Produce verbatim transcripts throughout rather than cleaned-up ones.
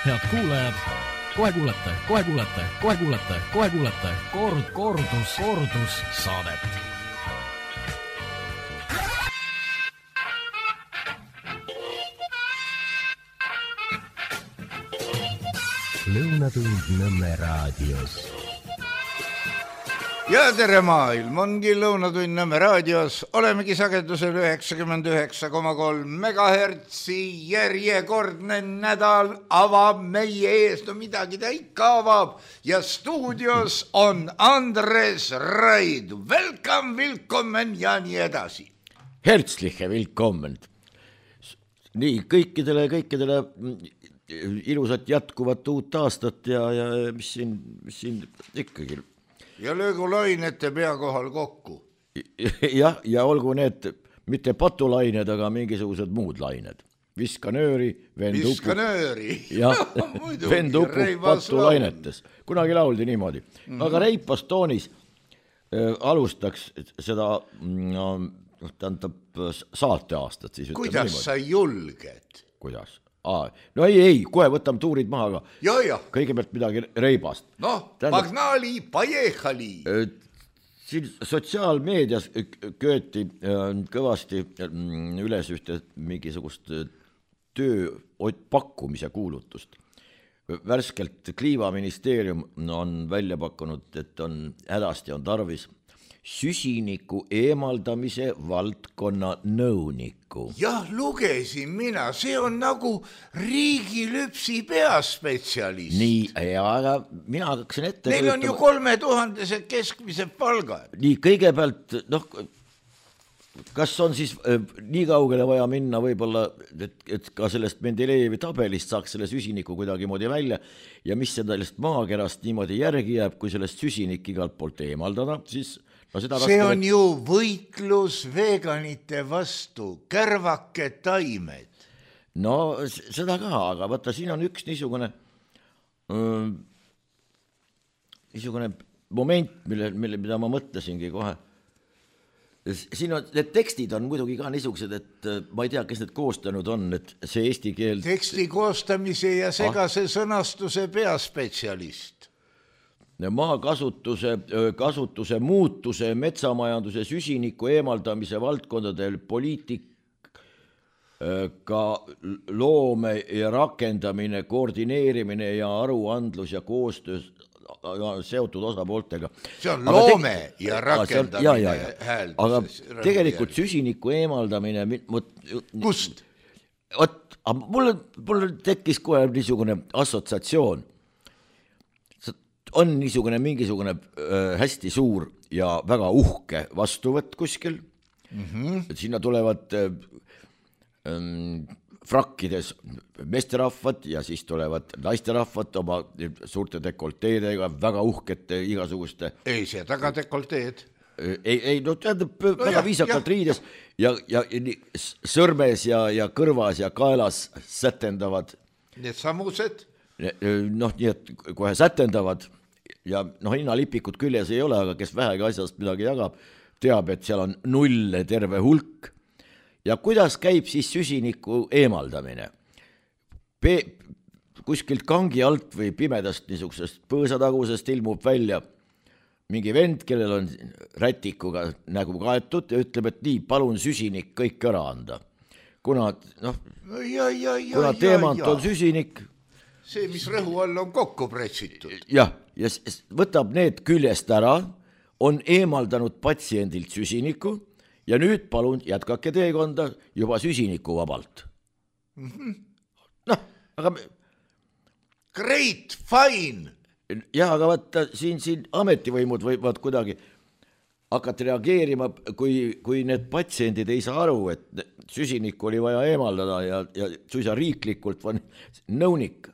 Head kuulajad, kohe kuulete, kohe kuulete, kohe kuulete, kohe kuulete kord, kordus, kordus saadet. Lõunatund Nõmme raadios. Ja tere maailm, ongi Lõunatund Nõmme raadios. Olemegi sagedusel üheksakümmend üheksa koma kolm megahertsi. Järjekordne nädal avab meie ees, no midagi ta ikka avab. Ja stuudios on Andres Raid. Welcome, willkommen ja nii edasi. Herzliche willkommen. Nii, kõikidele, kõikidele ilusat jätkuvat uut aastat ja, ja mis siin, mis siin ikkagi. Ja löögu lainete pea kohal kokku. Ja, ja olgu need mitte patulained, aga mingisugused muud lained. Viskanööri, vend upub. Viskanööri. Ja, vend upub patulainetes. Kunagi lauldi niimoodi. Mm-hmm. Aga Reipas Toonis äh, alustaks seda no, tähendab saate aastat. Siis kuidas niimoodi. Sa julged? Kuidas? Aa, no ei, ei, kohe võtame tuurid maha, aga ja, ja. Kõigepealt midagi Reibast. Noh, Pagnali, pajehali. Siin sotsiaalmeedias kööti kõvasti üles ühte mingisugust töö pakkumise kuulutust. Värskelt Kliimaministeerium on välja pakkunud, et on hädasti on tarvis süsiniku eemaldamise valdkonna nõuniku. Jah, lugesin mina, see on nagu riigilüpsi peaspetsialist. Nii, ja aga mina hakkasin ette Neil on ju kolme tuhandese keskmise palgad. Nii, kõigepealt, noh, kas on siis äh, nii kaugele vaja minna võib-olla, et, et ka sellest Mendelejevi tabelist saaks selle süsiniku kuidagi moodi välja ja mis sellest maakerast niimoodi järgi jääb, kui sellest süsinik igalt poolt eemaldada, siis no seda see on et... ju võitlus veganite vastu, kärvake taimed. No seda ka, aga vaata, siin on üks niisugune äh, niisugune moment, mille, mille, mida ma mõtlesingi kohe. Siin on, need tekstid on muidugi ka niisugused, et ma ei tea, kes need koostanud on, et see eesti keel... Teksti koostamise ja segase ah. sõnastuse peaspetsialist. Maakasutuse kasutuse muutuse, metsamajanduse, süsiniku eemaldamise valdkondadel poliitika loome ja rakendamine, koordineerimine ja aruandlus ja koostöös seotud osapooltega. See on aga loome te... ja rakendamine ja, ja, ja. Hääldus. Aga tegelikult süsiniku eemaldamine... Kust? Ot, mul, mul tekkis kohe niisugune assotsiatsioon. On niisugune mingisugune äh, hästi suur ja väga uhke vastuvõtt kuskil. Mm-hmm. Sinna tulevad äh, ähm, frakkides meesterahvad ja siis tulevad naisterahvad oma suurte dekolteedega, väga uhkete igasuguste. Ei, see taga dekolteed. Ei, ei no tähendab no, väga jah, viisakalt jah. Riides ja, ja, ja sõrmes ja, ja kõrvas ja kaelas sätendavad. Need samused? Noh, nii et kohe sätendavad. Ja noh, hinnalipikud küljes ei ole, aga kes vähegi asjast midagi jagab, teab, et seal on nulle terve hulk. Ja kuidas käib siis süsiniku eemaldamine? Pe- kuskilt kangi alt või pimedast niisugusest põõsatagusest ilmub välja mingi vend, kellel on rätikuga nägu kaetud ja ütleb, et nii, palun süsinik kõik ära anda. Kuna, noh, ja, ja, ja, kuna teemant ja, ja. On süsinik... See, mis rõhu all on kokku pretsitud. Jah, ja võtab need küljest ära, on eemaldanud patsiendilt süsiniku ja nüüd palun jätkake teekonda juba süsiniku vabalt. Mm-hmm. Noh, aga... Great, fine! Jah, aga vaata, siin, siin ametivõimud võivad kuidagi hakata reageerima, kui, kui need patsiendid ei saa aru, et süsinikku oli vaja eemaldada ja, ja suisa riiklikult on nõunik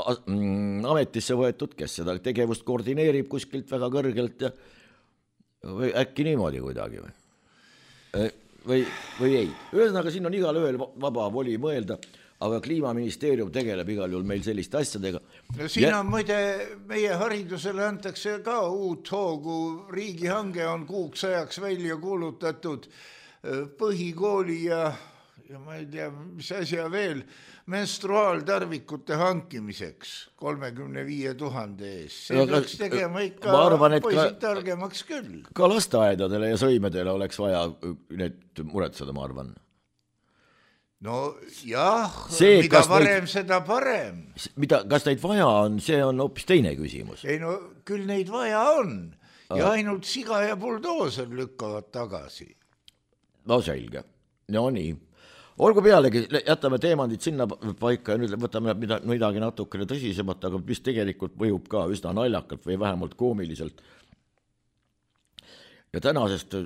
ametisse võetud, kes seda tegevust koordineerib kuskilt väga kõrgelt ja või äkki niimoodi kuidagi või, või, või ei. Ühesõnaga, siin on igal ööl vaba voli mõelda, aga Kliimaministeerium tegeleb igal juhul meil selliste asjadega. No siin on muide, meie haridusele antakse ka uut hoogu, riigihange on kuuks ajaks välja kuulutatud põhikooli ja ja ma ei tea, mis asja veel, menstruaaltarvikute hankimiseks kolmekümne viie tuhande ees. See no, peaks tegema ikka arvan, poisid ka, targemaks küll. Ka lasteaedadele ja sõimedele oleks vaja need muretseda, ma arvan. No jah, see, mida varem, neid, seda parem. Mida, kas neid vaja on, see on hoopis teine küsimus. Ei no, küll neid vaja on ja ainult siga ja buldooser lükkavad tagasi. No selge, no nii. Olgu pealegi, jätame teemandid sinna paika ja nüüd võtame midagi natukene tõsisemat, aga mis tegelikult mõjub ka üsna naljakalt või vähemalt koomiliselt. Ja tänasest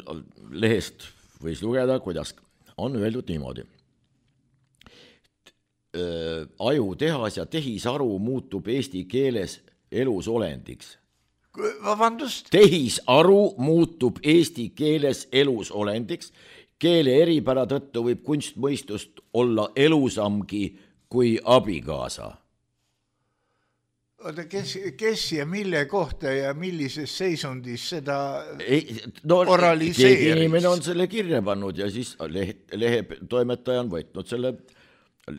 lehest võis lugeda, kuidas on öeldud niimoodi. Ajutehas ja tehisaru muutub eesti keeles elusolendiks. Vabandust? Tehisaru muutub eesti keeles elusolendiks. Keele eripära tõttu võib kunstmõistust olla elusamgi kui abikaasa. Oota, kes, kes ja mille kohta ja millises seisundis seda ei, no, oraliseeris? Keegi inimene on selle kirja pannud ja siis lehe, lehe toimetaja on võtnud selle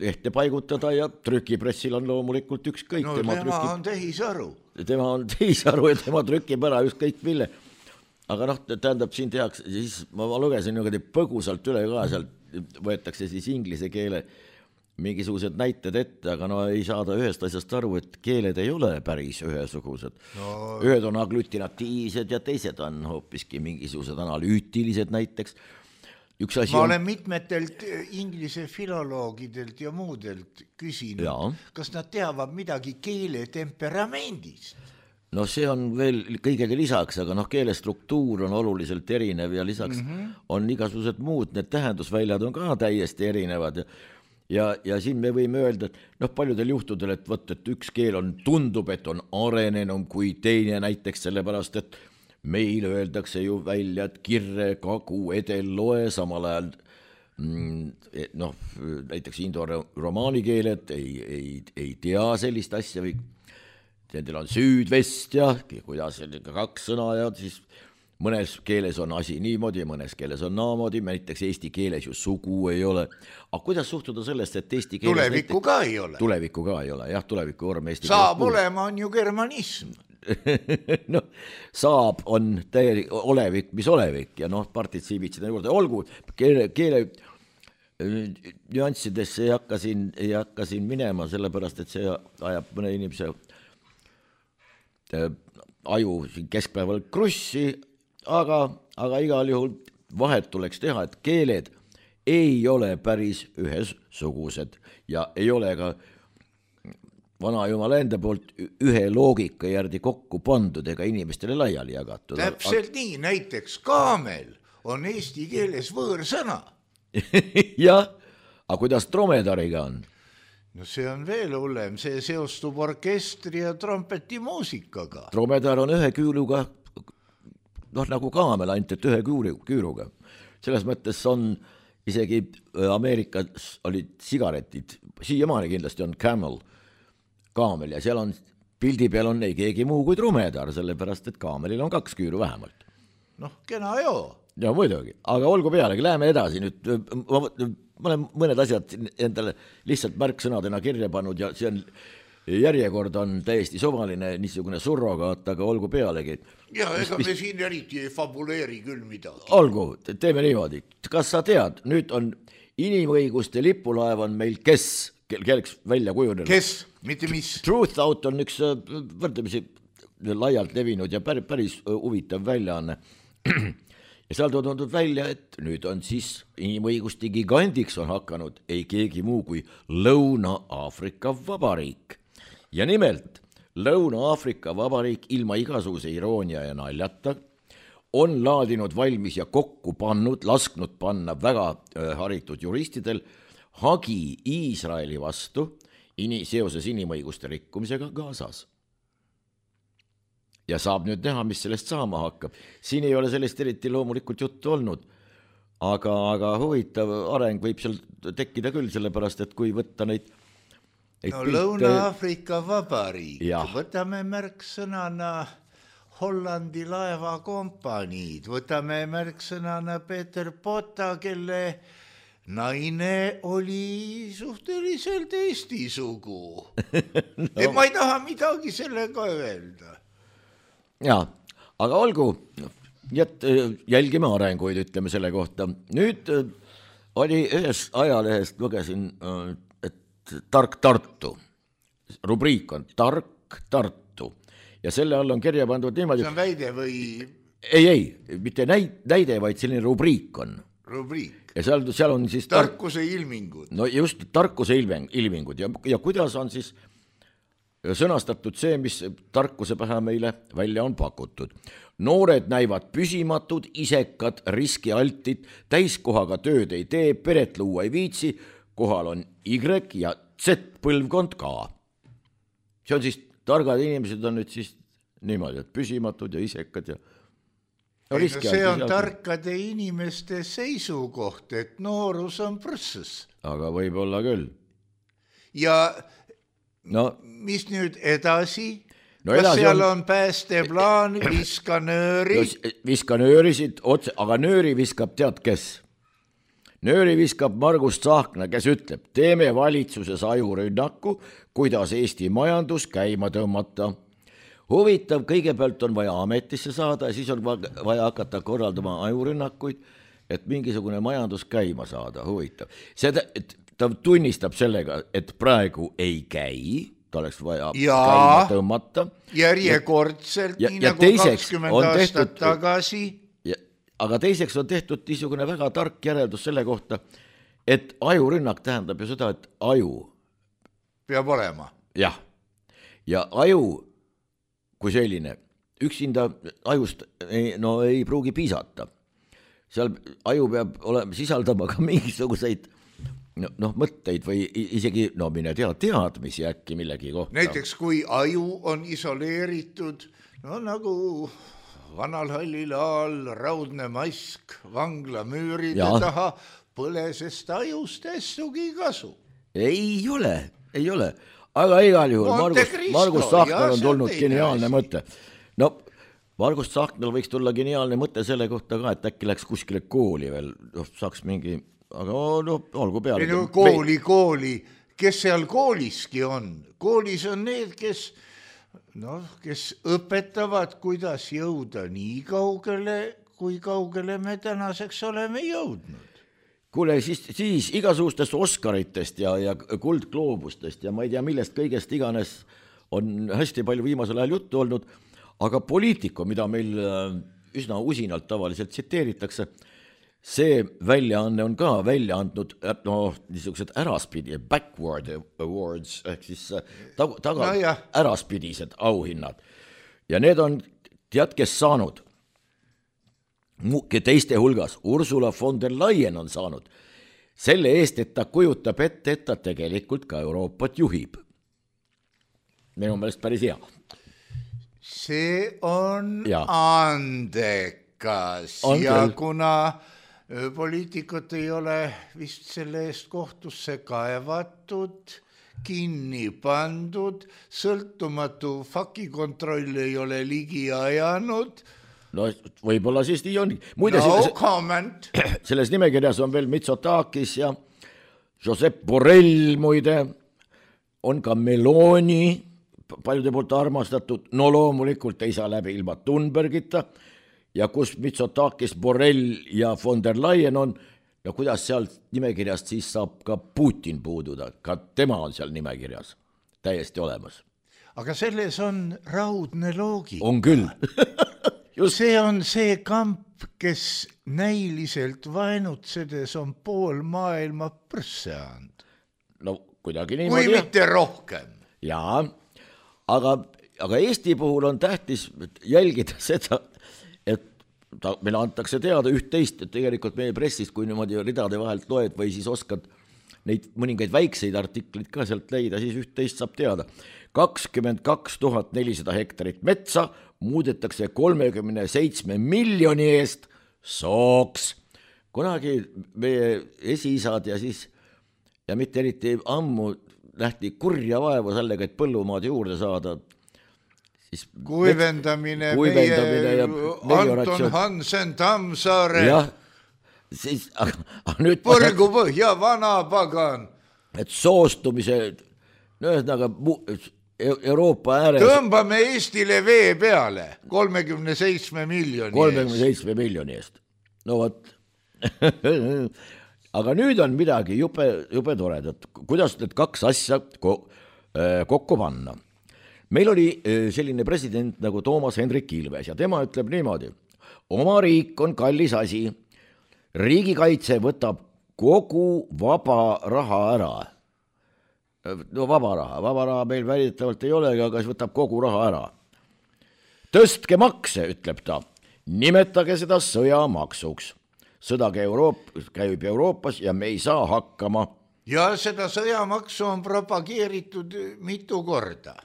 lehte paigutada ja trükipressil on loomulikult ükskõik. No tema, tema trüki... on tehisaru. Tema on tehisaru ja tema trükib ära ükskõik mille. Aga noh, tähendab, siin tehakse, siis ma lugesin niimoodi põgusalt üle ka, sealt võetakse siis inglise keele mingisugused näited ette, aga no ei saada ühest asjast aru, et keeled ei ole päris ühesugused. No. Ühed on aglutinatiivsed ja teised on hoopiski mingisugused analüütilised näiteks. Üks asi ma on... olen mitmetelt inglise filoloogidelt ja muudelt küsinud, ja. Kas nad teavad midagi keele temperamendist? No see on veel kõigega lisaks, aga noh, keele struktuur on oluliselt erinev ja lisaks mm-hmm. on igasugused muud, need tähendusväljad on ka täiesti erinevad ja, ja, ja siin me võime öelda, et noh, paljudel juhtudel, et võt, et üks keel on, tundub, et on arenenum kui teine näiteks sellepärast, et meil öeldakse ju välja, et kirre, kagu, edel, loe, samal ajal mm, noh, näiteks indo-romaani keeled ei, ei, ei tea sellist asja või nendel on süüdvest ja kuidas kaks sõna ja siis mõnes keeles on asi niimoodi, mõnes keeles on naamoodi, näiteks eesti keeles ju sugu ei ole. Aga kuidas suhtuda sellest, et eesti keeles... Tulevikku näiteks, ka ei ole. Tulevikku ka ei ole, jah, tulevikku vorm eesti saab keeles olema on ju germanism. no, saab on täielik olevik, mis olevik ja noh, partitsiibid seda juurde. Olgu, keele, keele nüanssidesse ei hakka siin, ei hakka siin minema, sellepärast, et see ajab mõne inimese aju keskpäeval krussi, aga, aga igal juhul vahet tuleks teha, et keeled ei ole päris ühesugused ja ei ole ka vana jumala enda poolt ühe loogika järgi kokku pandud ega inimestele laiali jagatud. Täpselt nii, näiteks kaamel on eesti keeles võõrsõna. jah, aga kuidas dromedariga on? No see on veel hullem, see seostub orkestri ja trompeti muusikaga. Dromedar on ühe küüluga, noh nagu kaamel ainult, et ühe küüruga. Selles mõttes on isegi Ameerikas olid sigaretid, siiamaani kindlasti on Camel, kaamel ja seal on, pildi peal on ei keegi muu kui dromedar, sellepärast et kaamelil on kaks küüru vähemalt. Noh, kena joo. Ja muidugi, aga olgu pealegi, läheme edasi nüüd, ma, ma olen mõned asjad endale lihtsalt märksõnadena kirja pannud ja see on, järjekord on täiesti sovaline niisugune surrogaat, aga olgu pealegi. Ja ega mis, me siin eriti ei fabuleeri küll midagi. Olgu, teeme niimoodi. Kas sa tead, nüüd on inimõiguste lipulaev on meil kes, kelleks välja kujunenud? Kes, mitte mis? Truth Out on üks võrdlemisi laialt levinud ja päris, päris huvitav väljaanne. Ja seal toodud välja, et nüüd on siis inimõiguste gigandiks on hakanud ei keegi muu kui Lõuna-Aafrika Vabariik. Ja nimelt Lõuna-Aafrika Vabariik ilma igasuguse iroonia ja naljata on laadinud valmis ja kokku pannud, lasknud panna väga haritud juristidel hagi Iisraeli vastu ini, seoses inimõiguste rikkumisega Gazas. Ja saab nüüd näha, mis sellest saama hakkab. Siin ei ole sellest eriti loomulikult juttu olnud, aga, aga huvitav areng võib seal tekkida küll, sellepärast, et kui võtta neid... No pilte... Lõuna-Aafrika Vabariik, ja. Võtame märksõnana Hollandi laevakompaniid, võtame märksõnana Peter Botta, kelle naine oli suhteliselt Eesti sugu no. Ma ei taha midagi sellega öelda. Jaa, aga olgu, et jälgime arenguid, ütleme selle kohta. Nüüd oli ühes ajalehest, lugesin, et Tark Tartu, rubriik on Tark Tartu ja selle all on kirja pandud niimoodi. See on väide või? Ei, ei, mitte näide, vaid selline rubriik on. Rubriik. Ja seal, seal on siis tarkuse ilmingud. No just tarkuse ilmingud ja, ja kuidas on siis sõnastatud see, mis tarkuse pähe meile välja on pakutud. Noored näivad püsimatud, isekad, riskialtid, täiskohaga tööd ei tee, peret luua ei viitsi, kohal on Y ja Z põlvkond ka. See on siis, targad inimesed on nüüd siis niimoodi, et püsimatud ja isekad ja No, ei, no see on tarkade inimeste seisukoht, et noorus on prõssus. Aga võib olla küll. Ja no, mis nüüd edasi? No Kas edasi seal on... on päästeplaan, viska nööri? No, viska nöörisid otse, aga nööri viskab tead kes? Nööri viskab Margus Tsahkna, kes ütleb, teeme valitsuses ajurünnaku, kuidas Eesti majandus käima tõmmata. Huvitav, kõigepealt on vaja ametisse saada ja siis on vaja hakata korraldama ajurünnakuid, et mingisugune majandus käima saada, huvitav. Seda, et ta tunnistab sellega, et praegu ei käi, ta oleks vaja ja, käima tõmmata. Järjekordselt, ja, nii ja nagu kakskümmend aastat tehtud, tagasi. Ja, aga teiseks on tehtud niisugune väga tark järeldus selle kohta, et ajurünnak tähendab ju seda, et aju peab olema. Jah, ja aju kui selline, üksinda ajust ei, no, ei pruugi piisata. Seal aju peab olema, sisaldama ka mingisuguseid no, no, mõtteid või isegi no, mine tea, teadmisi äkki millegi kohta. Näiteks kui aju on isoleeritud, no nagu vanal hallil aal raudne mask vangla müüride ja. Taha, põle sest ajust ässugi kasu. Ei ole, ei ole. Aga igal juhul Margus, Margus Tsahknal on tulnud geniaalne mõte. No, Margus Tsahknal võiks tulla geniaalne mõte selle kohta ka, et äkki läks kuskile kooli veel, saaks mingi, aga no, olgu peale. No, kooli, kooli, kes seal kooliski on? Koolis on need, kes, no, kes õpetavad, kuidas jõuda nii kaugele, kui kaugele me tänaseks oleme jõudnud. Kuule, siis, siis igasugustest Oscaritest ja, ja kuldgloobustest ja ma ei tea, millest kõigest iganes on hästi palju viimasel ajal juttu olnud, aga poliitiku, mida meil üsna usinalt tavaliselt tsiteeritakse, see väljaanne on ka välja andnud no, niisugused äraspidi, backward awards, ehk siis taga, taga no, äraspidised auhinnad. Ja need on, tead, kes saanud? Teiste hulgas Ursula von der Leyen on saanud selle eest, et ta kujutab ette, et ta tegelikult ka Euroopat juhib. Minu meelest päris hea. See on ja. Andekas on ja küll. Kuna poliitikud ei ole vist selle eest kohtusse kaevatud, kinni pandud, sõltumatu fakikontroll ei ole ligi ajanud, no võib-olla siis nii on. Muide, no selles, comment. Selles nimekirjas on veel Mitsotakis ja Josep Borrell muide, on ka Meloni, paljude poolt armastatud, no loomulikult ei saa läbi ilma Thunbergita ja kus Mitsotakis, Borrell ja von der Leyen on ja kuidas seal nimekirjast siis saab ka Putin puududa, ka tema on seal nimekirjas täiesti olemas. Aga selles on raudne loogika. On küll. Just. See on see kamp, kes näiliselt vaenutsedes on pool maailma prõsse and. No kuidagi niimoodi. Kui mitte rohkem. Jaa, aga, aga Eesti puhul on tähtis jälgida seda, et ta, meile antakse teada üht-teist, et tegelikult meie pressist, kui niimoodi ridade vahelt loed või siis oskad neid mõningaid väikseid artikleid ka sealt leida, siis üht-teist saab teada. kakskümmend kaks tuhat nelisada hektarit metsa muudetakse kolmekümne seitsme miljoni eest sooks. Kunagi meie esiisad ja siis, ja mitte eriti ammu nähti kurja vaevu sellega, et põllumaad juurde saada. Siis kuivendamine, kuivendamine meie Anton Hansen Tammsaare jah, siis aga, aga nüüd põrgu põhja, vana pagan. Et soostumise, no ühesõnaga Euroopa ääres tõmbame Eestile vee peale kolmekümne seitsme miljoni kolmekümne seitsme miljoni eest. No vot. Aga nüüd on midagi jube, jube toredat. Kuidas need kaks asja kokku panna? Meil oli selline president nagu Toomas Hendrik Ilves ja tema ütleb niimoodi. Oma riik on kallis asi. Riigikaitse võtab kogu vaba raha ära. No vaba raha, vaba raha meil väidetavalt ei ole, aga siis võtab kogu raha ära. Tõstke makse, ütleb ta. Nimetage seda sõjamaksuks. Sõda Euroop, käib Euroopas ja me ei saa hakkama. Ja seda sõjamaksu on propageeritud mitu korda.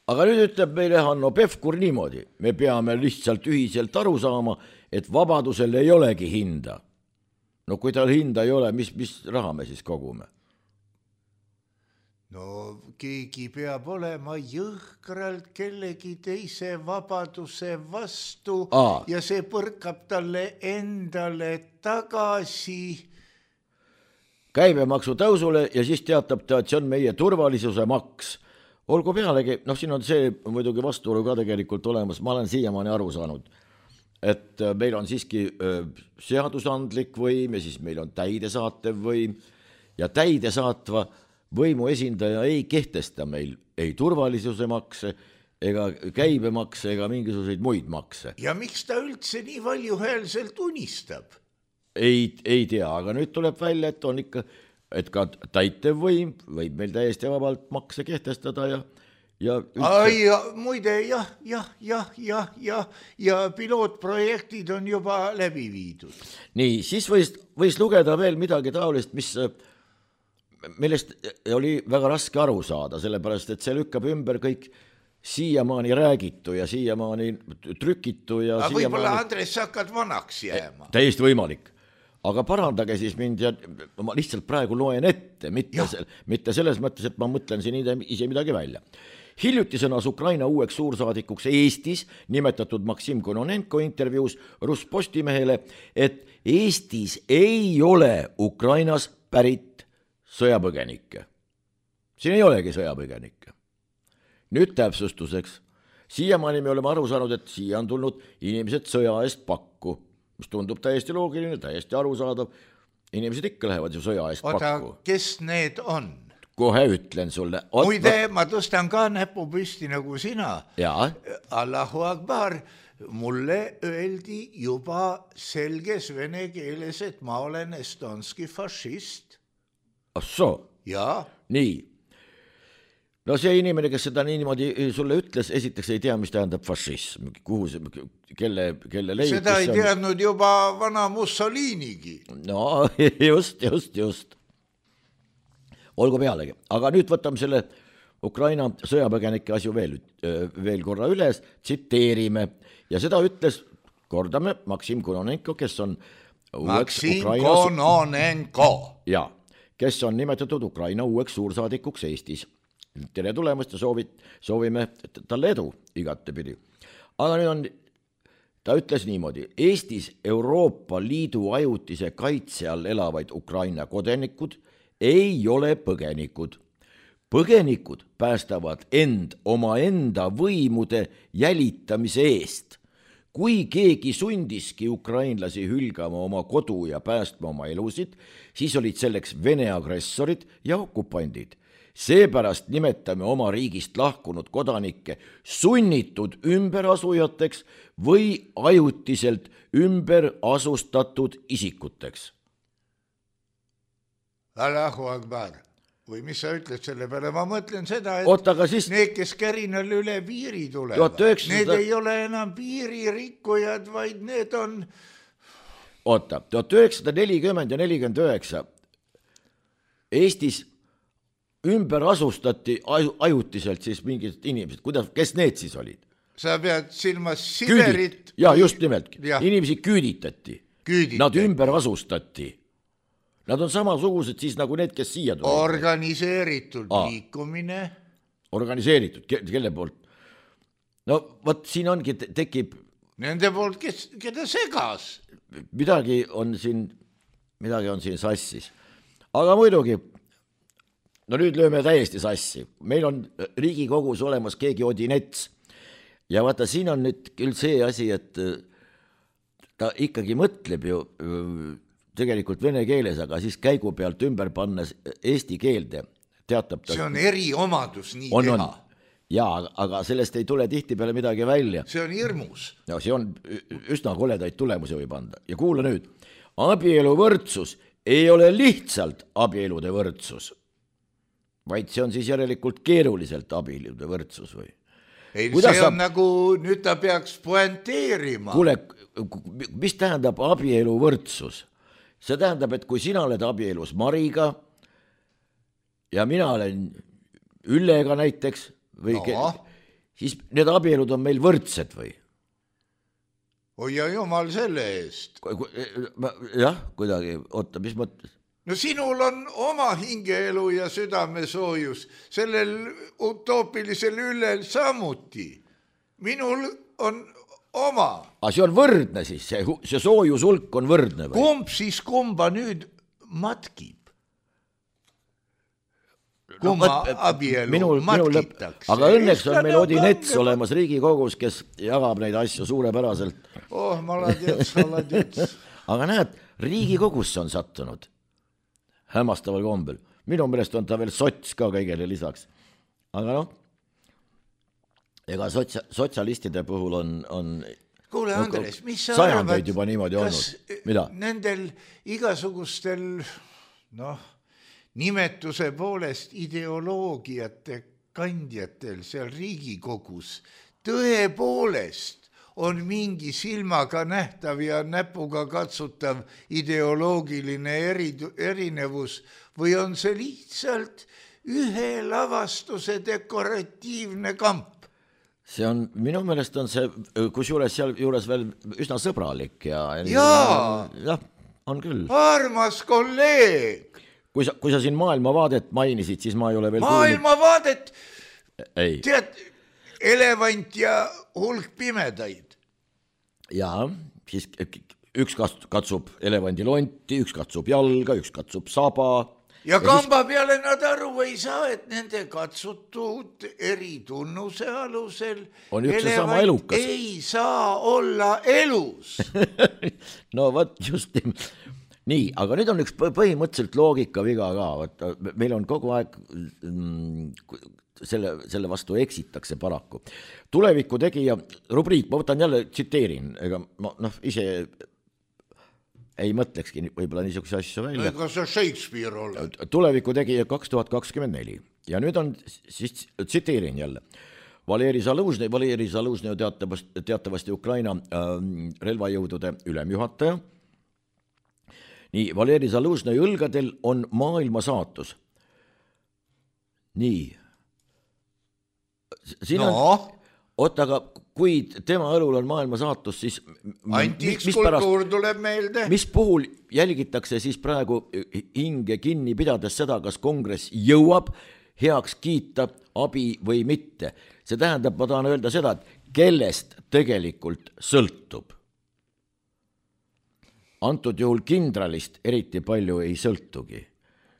Aga nüüd ütleb meile Hanno Pevkur niimoodi. Me peame lihtsalt ühiselt aru saama, et vabadusel ei olegi hinda. No kui tal hinda ei ole, mis, mis raha me siis kogume? No keegi peab olema jõhkralt kellegi teise vabaduse vastu Aa. ja see põrkab talle endale tagasi. Käibemaksu tõusule ja siis teatab ta, et see on meie turvalisuse maks. Olgu pealegi, noh siin on see muidugi vastuolu ka tegelikult olemas, ma olen siiamaani aru saanud, et meil on siiski seadusandlik võim ja siis meil on täidesaatev võim ja täidesaatva võimu esindaja ei kehtesta meil ei turvalisuse makse ega käibemakse ega mingisuguseid muid makse. Ja miks ta üldse nii valjuhäälselt unistab? Ei, ei tea, aga nüüd tuleb välja, et on ikka, et ka täitev võim võib meil täiesti vabalt makse kehtestada ja ja üldse... Ai, ja muide, jah, jah, jah, jah, jah, ja pilootprojektid on juba läbi viidud. Nii, siis võis, võis lugeda veel midagi taolist, mis millest oli väga raske aru saada, sellepärast, et see lükkab ümber kõik siiamaani räägitu ja siiamaani trükitu ja aga siiamaani... võib-olla Andres hakkad vanaks jääma. Täiesti võimalik. Aga parandage siis mind ja ma lihtsalt praegu loen ette, mitte, se- mitte selles mõttes, et ma mõtlen siin ise midagi välja. Hiljuti sõnas Ukraina uueks suursaadikuks Eestis nimetatud Maksim Kononenko intervjuus Ruspostimehele, et Eestis ei ole Ukrainas pärit sõjapõgenikke. Siin ei olegi sõjapõgenikke. Nüüd täpsustuseks. Siiamaani me oleme aru saanud, et siia on tulnud inimesed sõja eest pakku, mis tundub täiesti loogiline, täiesti arusaadav. Inimesed ikka lähevad ju sõja eest Oota, pakku. kes need on? Kohe ütlen sulle. Ot, muide, ma tõstan ka näpu püsti nagu sina. Jaa. Allahu Akbar. Mulle öeldi juba selges vene keeles, et ma olen estonski fašist. Assoo. Jaa. Nii. No see inimene, kes seda niimoodi sulle ütles, esiteks ei tea, mis tähendab fašism. Kuhu see, kelle, kelle leiutis. Seda ei teadnud juba vana Mussolinigi. No just, just, just. Olgu pealegi. Aga nüüd võtame selle Ukraina sõjapõgenike asju veel, veel korra üles, tsiteerime. Ja seda ütles, kordame, Maksim Kononenko, kes on Maksim Ukrainas... Kononenko. Ja, kes on nimetatud Ukraina uueks suursaadikuks Eestis. Tere tulemast ja soovit, soovime talle edu igatepidi. Aga nüüd on, ta ütles niimoodi, Eestis Euroopa Liidu ajutise kaitse all elavaid Ukraina kodanikud ei ole põgenikud. Põgenikud päästavad end oma enda võimude jälitamise eest. Kui keegi sundiski ukrainlasi hülgama oma kodu ja päästma oma elusid, siis olid selleks Vene agressorid ja okupandid. Seepärast nimetame oma riigist lahkunud kodanikke sunnitud ümberasujateks või ajutiselt ümber asustatud isikuteks. Allahu Akbar. Või mis sa ütled selle peale? Ma mõtlen seda, et Oot, siis... need, kes kärinal üle piiri tulevad, üheksasada... need ei ole enam piiririkkujad, vaid need on... Oota, tuhat üheksasada nelikümmend ja nelikümmend üheksa Eestis ümber asustati ajutiselt siis mingid inimesed. Kuidas, kes need siis olid? Sa pead silmas Siberit... Küüdit. Ja, just nimelt. Ja. Inimesi küüditati. Küüditati. Nad ümber asustati. Nad on samasugused siis nagu need, kes siia tulid. Organiseeritud Aa. liikumine. Organiseeritud, kelle poolt? No võt siin ongi, tekib... Nende poolt, kes, keda segas. midagi on siin, midagi on siin sassis. Aga muidugi, no nüüd lööme täiesti sassi. Meil on Riigikogus olemas keegi Odinets. Ja vaata, siin on nüüd küll see asi, et ta ikkagi mõtleb ju tegelikult vene keeles, aga siis käigu pealt ümber pannes eesti keelde. Teatab ta, see on eriomadus nii on, teha. On. Jaa, aga sellest ei tule tihti peale midagi välja. See on hirmus. No, see on üsna koledaid tulemusi võib anda. Ja kuula nüüd, abielu võrdsus ei ole lihtsalt abielude võrdsus, vaid see on siis järelikult keeruliselt abielude võrdsus või? Ei, Kuidas see on saab... nagu, nüüd ta peaks poenteerima. Kuule, mis tähendab abielu võrdsus? See tähendab, et kui sina oled abielus Mariga ja mina olen Üllega näiteks, või no. ke... siis need abielud on meil võrdsed või? Oi ja jumal selle eest. Jah, kuidagi, oota, mis mõttes? No sinul on oma hingeelu ja südamesoojus, sellel utoopilisel Üllel samuti. Minul on oma. Aga see on võrdne siis, see, see soojusulk on võrdne või? Kumb siis kumba nüüd matkib? Kumma no, abielu minul, matkitakse. Aga õnneks on meil Odinets no, olemas Riigikogus, kes jagab neid asju suurepäraselt. Oh, maladjets, maladjets. Aga näed, Riigikogusse on sattunud hämmastaval kombel. Minu meelest on ta veel sots ka kõigele lisaks. Aga noh, ega sotsia, sotsialistide puhul on... on Kuule, Andres, mis sa arvad, juba niimoodi kas olnud? Mida? Nendel igasugustel, noh, nimetuse poolest ideoloogiate kandjatel seal Riigikogus tõepoolest on mingi silmaga nähtav ja näpuga katsutav ideoloogiline eri, erinevus või on see lihtsalt ühe lavastuse dekoratiivne kamp? See on, minu meelest on see, kus juures seal juures veel üsna sõbralik ja... Jaa! Jah, on küll. Armas kolleeg! Kui sa, kui sa siin maailmavaadet mainisid, siis ma ei ole veel maailmavaadet? Ei. Tead, elevant ja hulk pimedaid. Jaa, siis üks katsub elevandi lonti, üks katsub jalga, üks katsub saba. Ja, ja kamba siis... peale nad aru ei saa, et nende katsutud eri tunnuse alusel on üks ja sama elukas. Ei saa olla elus. No võt, just nii, aga nüüd on üks põhimõtteliselt loogika viga ka, vaata, meil on kogu aeg selle, selle vastu eksitakse paraku. Tuleviku tegija rubriik, ma võtan jälle, tsiteerin, ega ma noh, ise ei mõtlekski võib-olla niisuguse asju välja. Ega sa Shakespeare ole. Tuleviku tegija kaks tuhat kakskümmend neli ja nüüd on, siis tsiteerin jälle, Valeri Zaluzhnõi, Valeri Zaluzhnõi teatavasti, teatavasti Ukraina äh, relvajõudude ülemjuhataja. Nii, Valeri Zaluzhnõi õlgadel on maailma saatus. Nii. Siin no. on, oota, aga kui tema õlul on maailma saatus, siis... Antiikskultuur tuleb meelde. Mis puhul jälgitakse siis praegu hinge kinni pidades seda, kas kongress jõuab heaks kiita abi või mitte? See tähendab, ma tahan öelda seda, et kellest tegelikult sõltub. Antud juhul kindralist eriti palju ei sõltugi.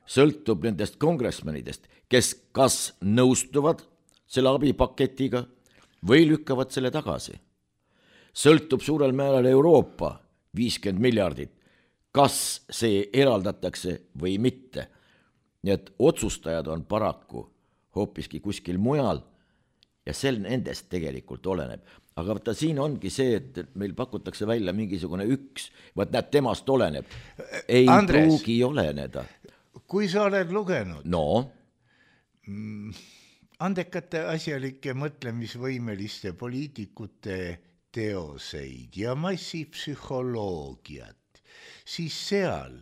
Sõltub nendest kongressmenidest, kes kas nõustuvad selle abipaketiga või lükkavad selle tagasi. Sõltub suurel määral Euroopa viiskümmend miljardit, kas see eraldatakse või mitte. Nii et otsustajad on paraku hoopiski kuskil mujal ja sel nendest tegelikult oleneb. Aga võtta, siin ongi see, et meil pakutakse välja mingisugune üks, võt näed, temast oleneb. Ei Andres, pruugi oleneda. Kui sa oled lugenud no? andekate asjalike mõtlemisvõimeliste poliitikute teoseid ja massipsühholoogiat, siis seal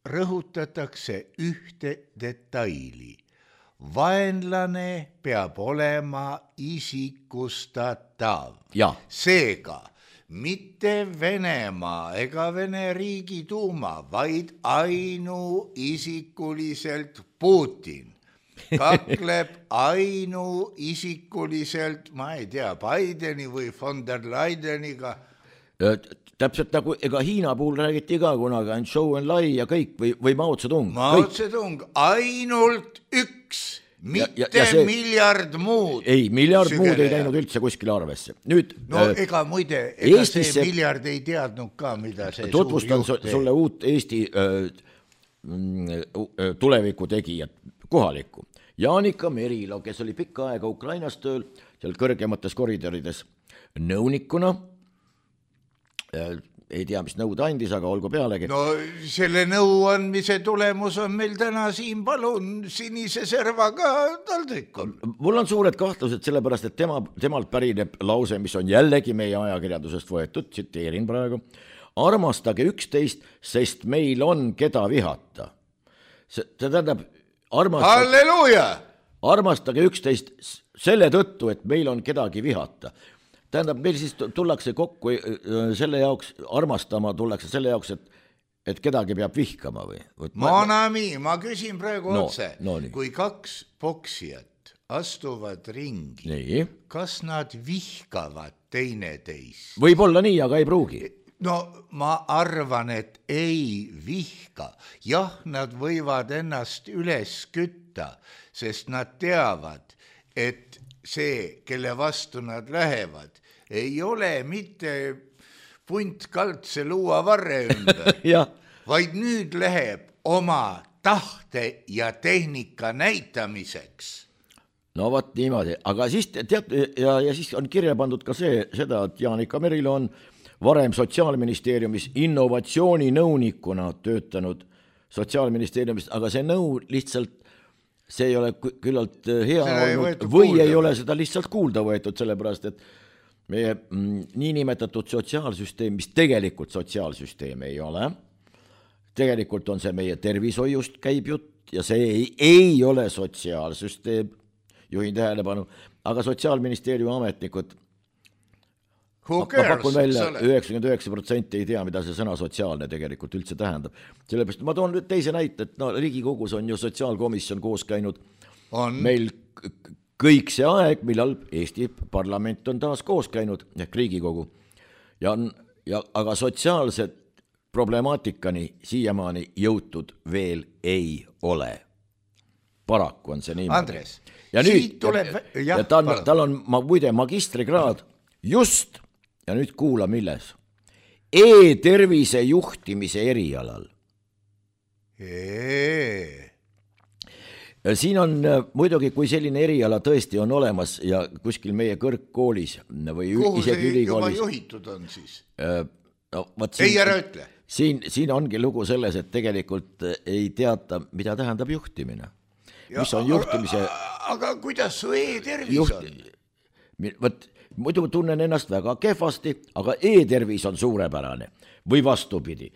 rõhutatakse ühte detaili. Vaenlane peab olema isikustatav. Ja. Seega, mitte Venemaa ega Vene riigi tuuma, vaid ainuisikuliselt Putin kakleb ainuisikuliselt, ma ei tea, Bideni või von der Leideniga. täpselt nagu, ega Hiina puhul räägiti ka kunagi, ainult show and lie ja kõik või, või Mao Zedong. Mao Zedong, ainult üks, mitte ja, ja see, miljard muud. Ei, miljard sügele. Muud ei läinud üldse kuskile arvesse. Nüüd, no äh, ega muide, ega Eestisse, see miljard ei teadnud ka, mida see tutvustan suur juht teeb. Sulle uut Eesti äh, tuleviku tegijat, kohalikku. Jaanika Merilo, kes oli pikka aega Ukrainas tööl, seal kõrgemates koridorides nõunikuna, ei tea, mis nõud andis, aga olgu pealegi. No selle nõu andmise tulemus on meil täna siin, palun, sinise servaga taldrikul. Mul on suured kahtlused sellepärast, et tema, temalt pärineb lause, mis on jällegi meie ajakirjandusest võetud, tsiteerin praegu, armastage üksteist, sest meil on keda vihata. See, see tähendab, armastage, Halleluuja! armastage üksteist selle tõttu, et meil on kedagi vihata. Tähendab, meil siis tullakse kokku selle jaoks, armastama tullakse selle jaoks, et, et kedagi peab vihkama või? Monami, ma küsin praegu no, otse, no, kui kaks poksijat astuvad ringi, nii. Kas nad vihkavad teineteist? Võib-olla nii, aga ei pruugi. No ma arvan, et ei vihka. Jah, nad võivad ennast üles kütta, sest nad teavad, et see, kelle vastu nad lähevad, ei ole mitte punt kaldse luua varre ümber, vaid nüüd läheb oma tahte ja tehnika näitamiseks. No vaat niimoodi, aga siis tead, ja, ja siis on kirja pandud ka see, seda, et Jaanika Merilo on varem Sotsiaalministeeriumis innovatsiooninõunikuna töötanud Sotsiaalministeeriumist, aga see nõu lihtsalt, see ei ole küllalt hea see olnud või kuulda. Ei ole seda lihtsalt kuulda võetud, sellepärast et meie mm, niinimetatud sotsiaalsüsteem, mis tegelikult sotsiaalsüsteem ei ole, tegelikult on see meie tervishoiust käib jutt ja see ei, ei ole sotsiaalsüsteem, juhin tähelepanu, aga Sotsiaalministeeriumi ametnikud ma pakun välja üheksakümmend üheksa protsenti ei tea, mida see sõna sotsiaalne tegelikult üldse tähendab. Sellepärast ma toon teise näite, et no, Riigikogus on ju sotsiaalkomisjon koos käinud on. Meil kõik see aeg, millal Eesti parlament on taas koos käinud, ehk Riigikogu. Ja, on, ja, aga sotsiaalsed problemaatikani siiamaani jõutud veel ei ole. Paraku on see niimoodi. Andres, ja nüüd, tuleb... ja, ja tal, tal on ma, muide magistrikraad just, ja nüüd kuula milles, e-tervise juhtimise erialal. Eee. Siin on muidugi, kui selline eriala tõesti on olemas ja kuskil meie kõrgkoolis või kuhu isegi see ülikoolis. juba juhitud on siis? No, siin, ei ära ütle. Siin, siin ongi lugu selles, et tegelikult ei teata, mida tähendab juhtimine. Ja, mis on juhtimise... Aga, aga kuidas su e-tervis juht... on? Võt, muidu tunnen ennast väga kehvasti, aga e-tervis on suurepärane. Või vastupidi.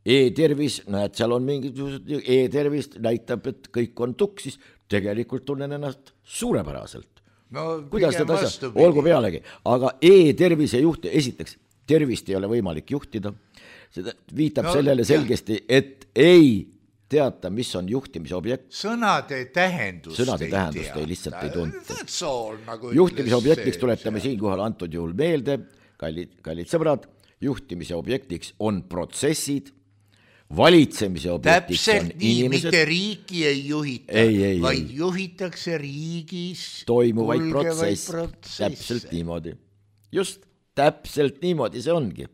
E-tervis, näed, seal on mingisugused, e-tervist näitab, et kõik on tuksis, tegelikult tunnen ennast suurepäraselt. No, kuidas seda asja? Olgu pealegi, aga e-tervise juht, esiteks, tervist ei ole võimalik juhtida, seda viitab no, sellele selgesti, et ei teata, mis on juhtimise objekt. Sõnade tähendust, Sõnade ei, tähendust ei lihtsalt ei tunta. Nagu juhtimise objektiks tuletame siinkohal antud juhul meelde, kallid, kallid sõbrad, juhtimise objektiks on protsessid, valitsemise objektiks täpselt on nii, inimesed. Mitte riiki ei juhita, ei, ei, vaid ei. Juhitakse riigis toimuvaid protsess, täpselt niimoodi. Just täpselt niimoodi see ongi.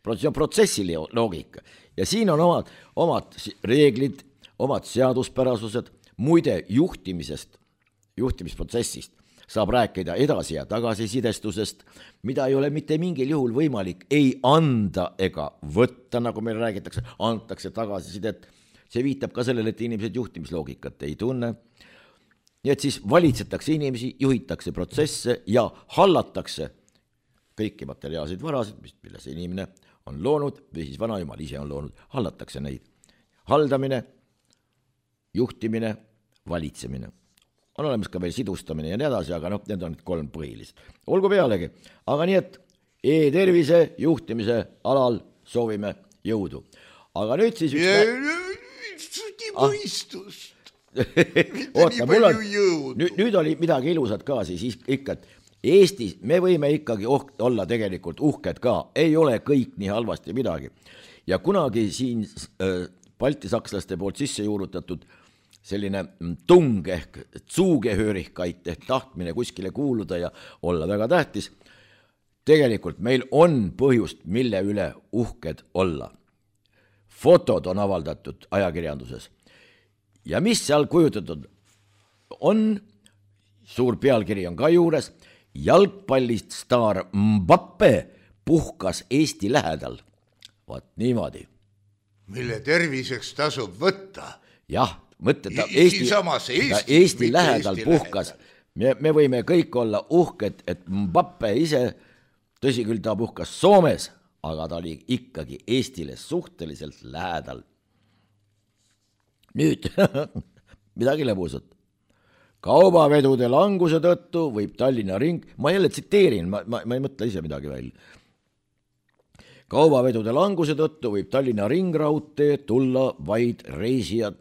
See on protsessi loogika. Ja siin on omad, omad reeglid, omad seaduspärasused, muide juhtimisest, juhtimisprotsessist saab rääkida edasi ja tagasisidestusest, mida ei ole mitte mingil juhul võimalik ei anda ega võtta, nagu meil räägitakse, antakse tagasisidet. See viitab ka sellele, et inimesed juhtimisloogikat ei tunne. Nii et siis valitsetakse inimesi, juhitakse protsesse ja hallatakse kõiki materiaalseid varasid, mille see inimene on loonud või siis vanajumal ise on loonud, hallatakse neid. Haldamine, juhtimine, valitsemine. On olemas ka veel sidustamine ja nii edasi, aga noh, need on kolm põhilist. Olgu pealegi, aga nii et e-tervise juhtimise alal soovime jõudu. Aga nüüd siis... Üks mõistust. Oota, mul on... Nüüd, nüüd oli midagi ilusat ka siis ikka, et Eestis me võime ikkagi oh, olla tegelikult uhked ka, ei ole kõik nii halvasti midagi. Ja kunagi siin äh, baltisakslaste poolt sisse juurutatud selline tung ehk zugehörigkeit ehk tahtmine kuskile kuuluda ja olla väga tähtis, tegelikult meil on põhjust, mille üle uhked olla. Fotod on avaldatud ajakirjanduses ja mis seal kujutatud on, suur pealkiri on ka juures, jalgpallist staar Mbappe puhkas Eesti lähedal. Vaat niimoodi. Mille terviseks tasub võtta. Jah, mõtle, ta I, Eesti, Eesti, ta Eesti lähedal Eesti puhkas. Me, me võime kõik olla uhked, et Mbappe ise, tõsi küll, ta puhkas Soomes, aga ta oli ikkagi Eestile suhteliselt lähedal. Nüüd, midagi lõbusat. Kaubavedude languse tõttu võib Tallinna ring, ma jälle tsiteerin, ma, ma, ma ei mõtle ise midagi välja. Kaubavedude languse tõttu võib Tallinna ringraudtee tulla vaid reisijad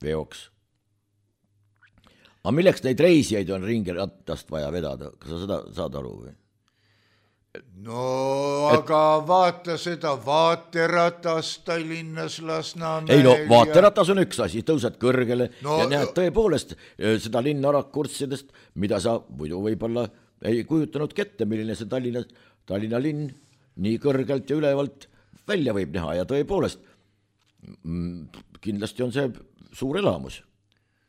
veoks. Aga milleks neid reisijaid on ringirattast vaja vedada? Kas sa seda saad aru või? No aga et... vaata seda vaateratast Tallinnas Lasnamäel. Ei no vaateratas on üks asi, tõused kõrgele no, ja näed tõepoolest seda linna rakurtsidest, mida sa muidu võib-olla ei kujutanud kette, milline see Tallinna, Tallinna linn nii kõrgelt ja ülevalt välja võib näha ja tõepoolest kindlasti on see suur elamus.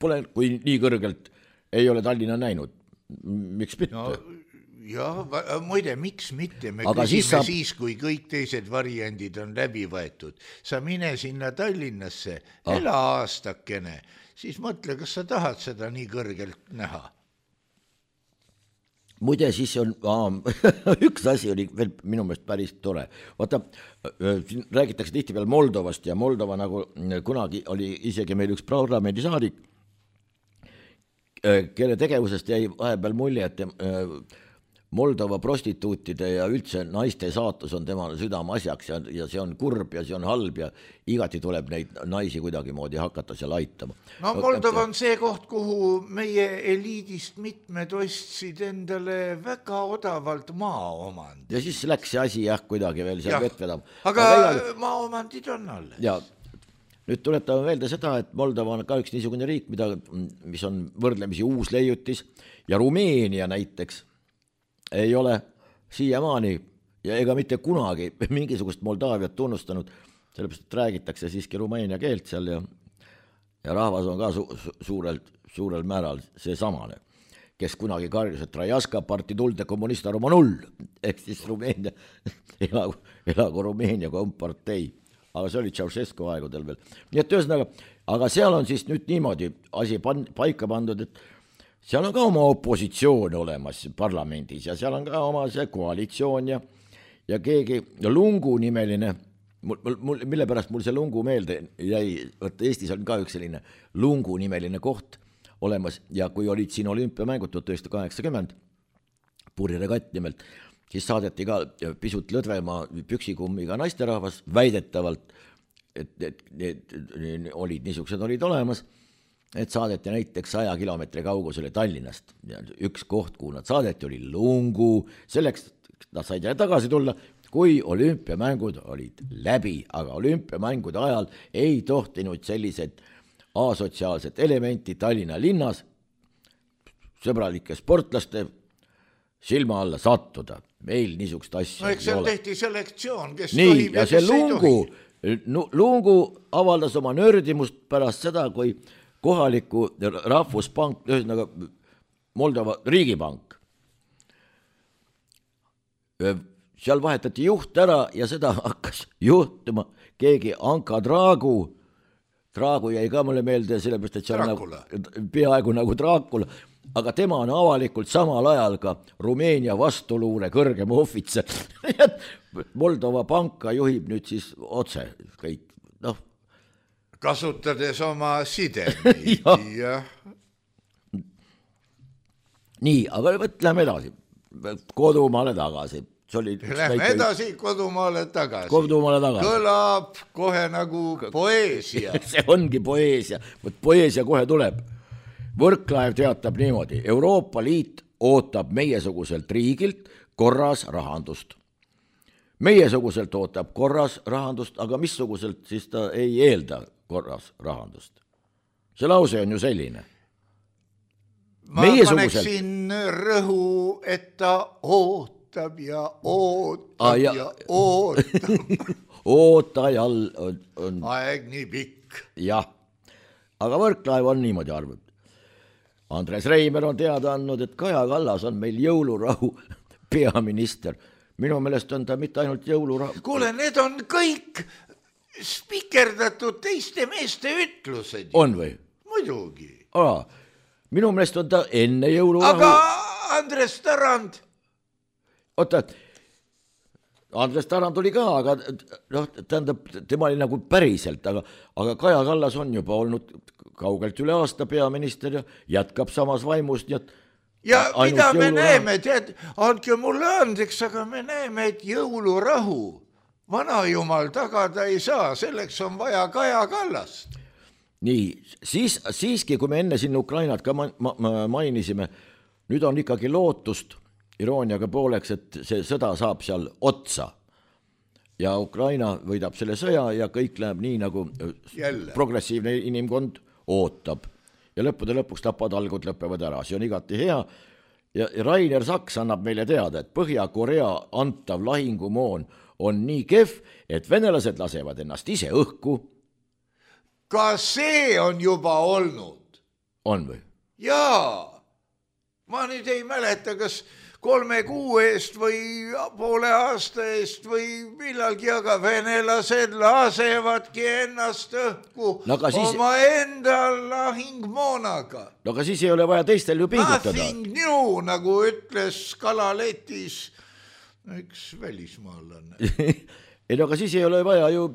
Pole, kui nii kõrgelt ei ole Tallinna näinud, miks mitte? No... Jah, muide, miks mitte, me aga küsime siis, saab... siis, kui kõik teised variandid on läbi võetud. Sa mine sinna Tallinnasse, ah. ela aastakene, siis mõtle, kas sa tahad seda nii kõrgelt näha. Muide, siis on, aa, üks asi oli veel minu meelest päris tore. Vaata, siin räägitakse tihti veel Moldovast ja Moldova nagu kunagi oli isegi meil üks parlamendisaadik, kelle tegevusest jäi vahepeal mulje, et Moldova prostituutide ja üldse naiste saatus on temale südame asjaks ja, ja see on kurb ja see on halb ja igati tuleb neid naisi kuidagi moodi hakata seal aitama. No Moldova on see koht, kuhu meie eliidist mitmed ostsid endale väga odavalt maaomand. Ja siis läks see asi jah kuidagi veel seal vett vedama. Aga, aga igal... maaomandid on alles. Ja nüüd tuletame meelde seda, et Moldova on ka üks niisugune riik, mida, mis on võrdlemisi uus leiutis ja Rumeenia näiteks ei ole siiamaani ja ega mitte kunagi mingisugust Moldaaviat tunnustanud, sellepärast, et räägitakse siiski rumeenia keelt seal ja, ja rahvas on ka su, su, suurel, suurel määral see samane, kes kunagi karjus, et Rajaska partitulde kommunista Roma null, ehk siis Rumeenia, elagu, elagu Rumeenia kompartei, aga see oli Ceausescu aegudel veel. Nii et ühesõnaga, aga seal on siis nüüd niimoodi asi pan, paika pandud, et seal on ka oma opositsioon olemas parlamendis ja seal on ka oma see koalitsioon ja, ja keegi Lungu nimeline, mul, mul, mille pärast mul see Lungu meelde jäi, võtta Eestis on ka üks selline Lungu nimeline koht olemas ja kui olid siin olümpiamängud tuhat üheksasada kaheksakümmend, puriregatt nimelt, siis saadeti ka pisut lõdvema püksikummiga naisterahvas väidetavalt, et, et, et, et olid niisugused olid olemas, et saadeti näiteks saja kilomeetri kaugusele Tallinnast. Ja üks koht, kuhu nad saadeti, oli Lungu. Selleks nad said tagasi tulla, kui olümpiamängud olid läbi, aga olümpiamängude ajal ei tohtinud sellised asotsiaalsed elementi Tallinna linnas sõbralike sportlaste silma alla sattuda. Meil niisugust asja no, ei ole. No eks seal tehti selektsioon, kes nii, tohib ja see Lungu, Lungu avaldas oma nördimust pärast seda, kui kohaliku rahvuspank, ühesõnaga Moldova riigipank. Seal vahetati juht ära ja seda hakkas juhtuma keegi Anka Draagu. Draagu jäi ka mulle meelde, sellepärast, et see on nagu, peaaegu nagu Draakula, aga tema on avalikult samal ajal ka Rumeenia vastuluure kõrgem ohvitser. Moldova panka juhib nüüd siis otse kõik, noh, kasutades oma sidemeid ja. ja. Nii, aga võtleme edasi. Kodumaale tagasi. Lähme edasi kodumaale tagasi. Kodumaale tagasi. Kõlab kohe nagu poeesia. See ongi poeesia. Võt poeesia kohe tuleb. Võrklaev teatab niimoodi. Euroopa Liit ootab meiesuguselt riigilt korras rahandust. Meiesuguselt ootab korras rahandust, aga missuguselt siis ta ei eelda korras rahandust. See lause on ju selline. Ma paneksin rõhu, et ta ootab ja ootab ah, ja, ja ootab. Ootajal on, on... aeg nii pikk. Jah, aga Võrklaev on niimoodi arvanud. Andres Reimer on teada andnud, et Kaja Kallas on meil jõulurahu peaminister. Minu meelest on ta mitte ainult jõulurahu. Kuule, need on kõik spikerdatud teiste meeste ütlused. On või? Muidugi. Aa, minu meelest on ta enne jõulurahu. Aga Andres Tarand. Oota, Andres Tarand oli ka, aga noh, tähendab, tema oli nagu päriselt, aga, aga Kaja Kallas on juba olnud kaugelt üle aasta peaminister ja jätkab samas vaimust. Nii et ja mida me näeme, tead, andke mulle andeks, aga me näeme, et jõulurahu vanajumal tagada ei saa, selleks on vaja Kaja Kallast. Nii, siis, siiski, kui me enne siin Ukrainat ka ma, ma, mainisime, nüüd on ikkagi lootust irooniaga pooleks, et see sõda saab seal otsa ja Ukraina võidab selle sõja ja kõik läheb nii, nagu Jälle. Progressiivne inimkond ootab ja lõppude lõpuks tapatalgud lõpevad ära, see on igati hea ja Rainer Saks annab meile teada, et Põhja-Korea antav lahingumoon on nii kehv, et venelased lasevad ennast ise õhku. Ka see on juba olnud. On või? Jaa, ma nüüd ei mäleta, kas kolme kuu eest või poole aasta eest või millalgi, aga venelased lasevadki ennast õhku no, siis... oma enda lahingmoonaga. No aga siis ei ole vaja teistel ju pingutada. Nothing new, nagu ütles kalaletis üks välismaalane. ei no aga siis ei ole vaja ju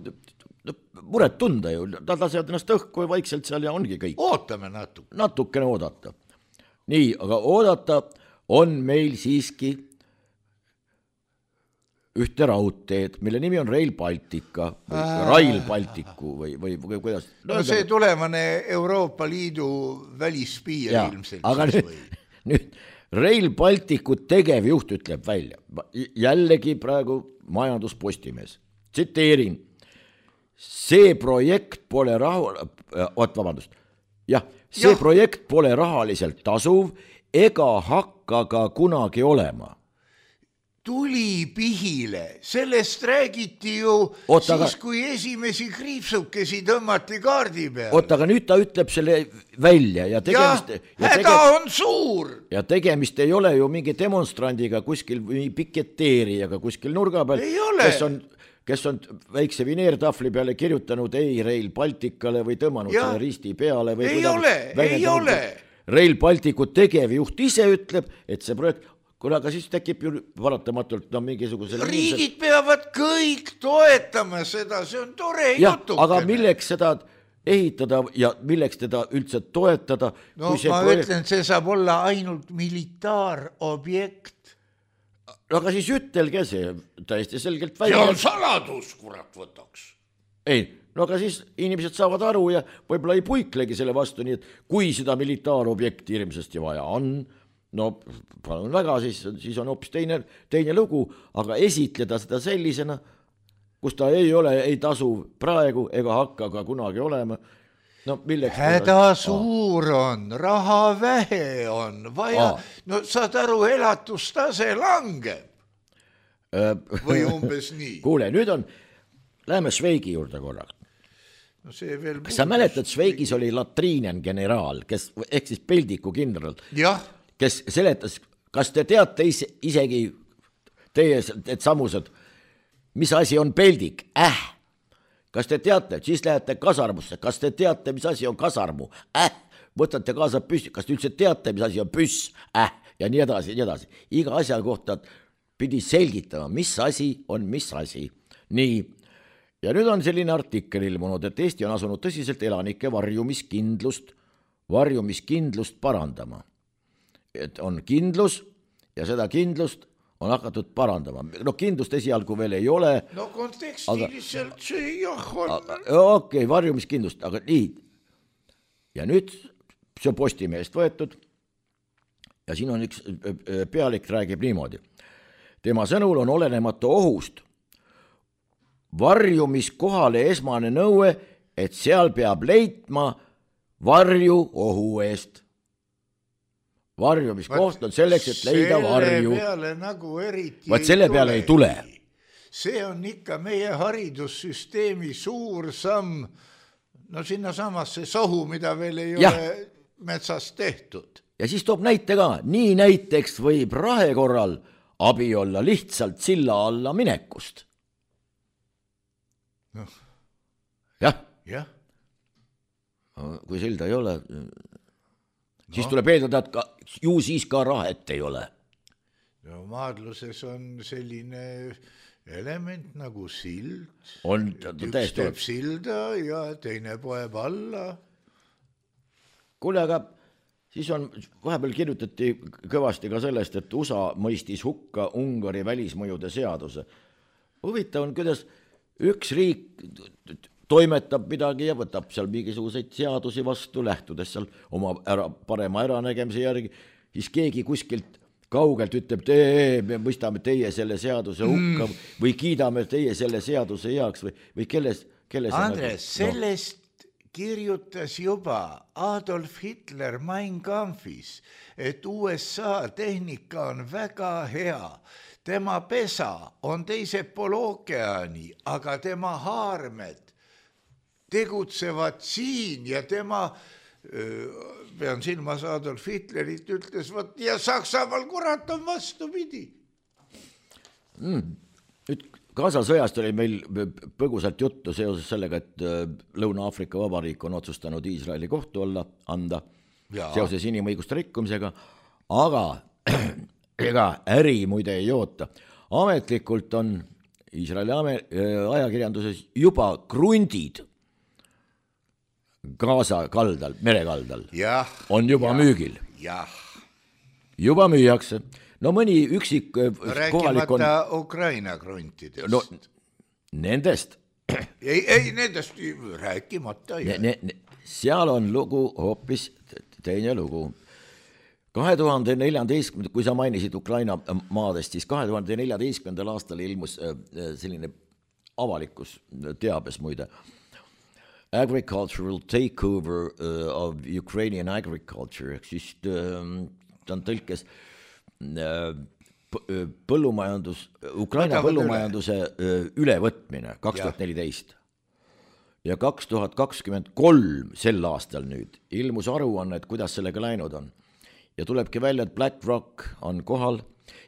muret tunda ju, nad lasevad ennast õhku ja vaikselt seal ja ongi kõik. Ootame natuke. Natukene oodata. Nii, aga oodata on meil siiski ühte raudteed, mille nimi on Rail Baltica või äh. Rail Balticu või, või, või kuidas? No see tulevane Euroopa Liidu välispiir ja, ilmselt. Aga nüüd, nüüd Rail Balticu tegevjuht ütleb välja, jällegi praegu majanduspostimees, tsiteerin, see projekt pole rahu, oot, vabandust, jah, see ja. projekt pole rahaliselt tasuv ega hakka ka kunagi olema. Tuli pihile, sellest räägiti ju Oot, siis, aga... kui esimesi kriipsukesi tõmmati kaardi peale. Oot, aga nüüd ta ütleb selle välja ja tegemist... Ja, ja häda tege... on suur! Ja tegemist ei ole ju mingi demonstrandiga kuskil või piketeerijaga kuskil nurga peal, kes on... kes on väikse vineertahvli peale kirjutanud ei Rail Balticale või tõmmanud ja. selle risti peale. Või ei ole, ei ole. Rail Balticu tegevjuht ise ütleb, et see projekt, kuna aga siis tekib ju varatamatult no, mingisugusel... Riigid inimesel... peavad kõik toetama seda, see on tore jutukene. Aga milleks seda ehitada ja milleks teda üldse toetada? No ma projekt... ütlen, see saab olla ainult militaarobjekt. No aga siis ütelge see täiesti selgelt välja. See on saladus, kurat võtaks. Ei, no aga siis inimesed saavad aru ja võib-olla ei puiklegi selle vastu, nii et kui seda militaarobjekti hirmsasti vaja on, no palun väga, siis, siis on hoopis teine, teine lugu, aga esitleda seda sellisena, kus ta ei ole, ei tasu praegu ega hakka ka kunagi olema. No, häda suur on, raha vähe on, vaja, Aa. no saad aru, elatustase langeb. Või umbes nii. Kuule, nüüd on, läheme Šveigi juurde korraks. No see veel kas sa mäletad, Šveigis oli latriinen generaal, kes, ehk siis Peldiku kindral, jah. kes seletas, kas te teate ise, isegi teie, et samused, mis asi on peldik? Äh! Kas te teate, siis lähete kasarmusse, kas te teate, mis asi on kasarmu? Äh, võtate kaasa püssi, kas te üldse teate, mis asi on püss? Äh, ja nii edasi, nii edasi. Iga asja kohta pidi selgitama, mis asi on mis asi. Nii, ja nüüd on selline artikkel ilmunud, et Eesti on asunud tõsiselt elanike varjumiskindlust, varjumiskindlust parandama. Et on kindlus ja seda kindlust on hakatud parandama. No kindlust esialgu veel ei ole. No kontekstiliselt see jah on. Okei, okay, varjumiskindlust, aga nii. Ja nüüd see on Postimehest võetud. ja siin on üks pealik räägib niimoodi. Tema sõnul on olenemata ohust varjumiskohale esmane nõue, et seal peab leitma varju ohu eest. Varjumiskoht on selleks, et leida varju. Selle peale nagu eriti Vaat selle peale ei tule. See on ikka meie haridussüsteemi suur samm, no sinna samasse sohu, mida veel ei ja. ole metsas tehtud. Ja siis toob näite ka, nii näiteks võib rahe korral abi olla lihtsalt silla alla minekust. No. Jah. Jah. Kui silda ei ole, siis no. tuleb eeldada, et ka, ju siis ka rahet ei ole. No maadluses on selline element nagu sild. On, üks teeb silda ja teine poeb alla. Kuule, aga siis on, vahepeal kirjutati kõvasti ka sellest, et U S A mõistis hukka Ungari välismõjude seaduse. Huvitav on, kuidas üks riik toimetab midagi ja võtab seal mingisuguseid seadusi vastu, lähtudes seal oma ära, parema äranägemise järgi, siis keegi kuskilt kaugelt ütleb, tee, me mõistame teie selle seaduse hukka mm. või kiidame teie selle seaduse heaks või, või kelles, kelles Andres, nagu, sellest no. kirjutas juba Adolf Hitler Mein Kampfis, et U S A tehnika on väga hea. Tema pesa on teisel pool ookeani, aga tema haarmed tegutsevad siin ja tema pean silmas Adolf Hitlerit, ütles, võt, ja Saksamaal kurat on vastu pidi. Mm. Nüüd Gaza sõjast oli meil põgusalt juttu seoses sellega, et Lõuna-Aafrika Vabariik on otsustanud Iisraeli kohtu alla anda ja. seoses inimõiguste rikkumisega, aga ega äri muide ei oota. Ametlikult on Iisraeli ajakirjanduses juba krundid Gaza kaldal, merekaldal jah, on juba jah, müügil. Jah. Juba müüakse. No mõni üksik rääkimata on... Ukraina kruntidest. No, nendest. Ei, ei, nendest rääkimata. Ne, ne, ne, seal on lugu hoopis teine lugu. kahe tuhande neljateistkümnendal, kui sa mainisid Ukraina maadest, siis kahe tuhande neljateistkümnendal aastal ilmus selline avalikus teabes muide. Agricultural takeover uh, of Ukrainian agriculture, siis uh, ta on tõlkes uh, põllumajandus, Ukraina Võtavad põllumajanduse üle. ülevõtmine kaks tuhat neliteist ja kaks tuhat kakskümmend kolm sel aastal nüüd ilmus aruanne, et kuidas sellega läinud on. Ja tulebki välja, et BlackRock on kohal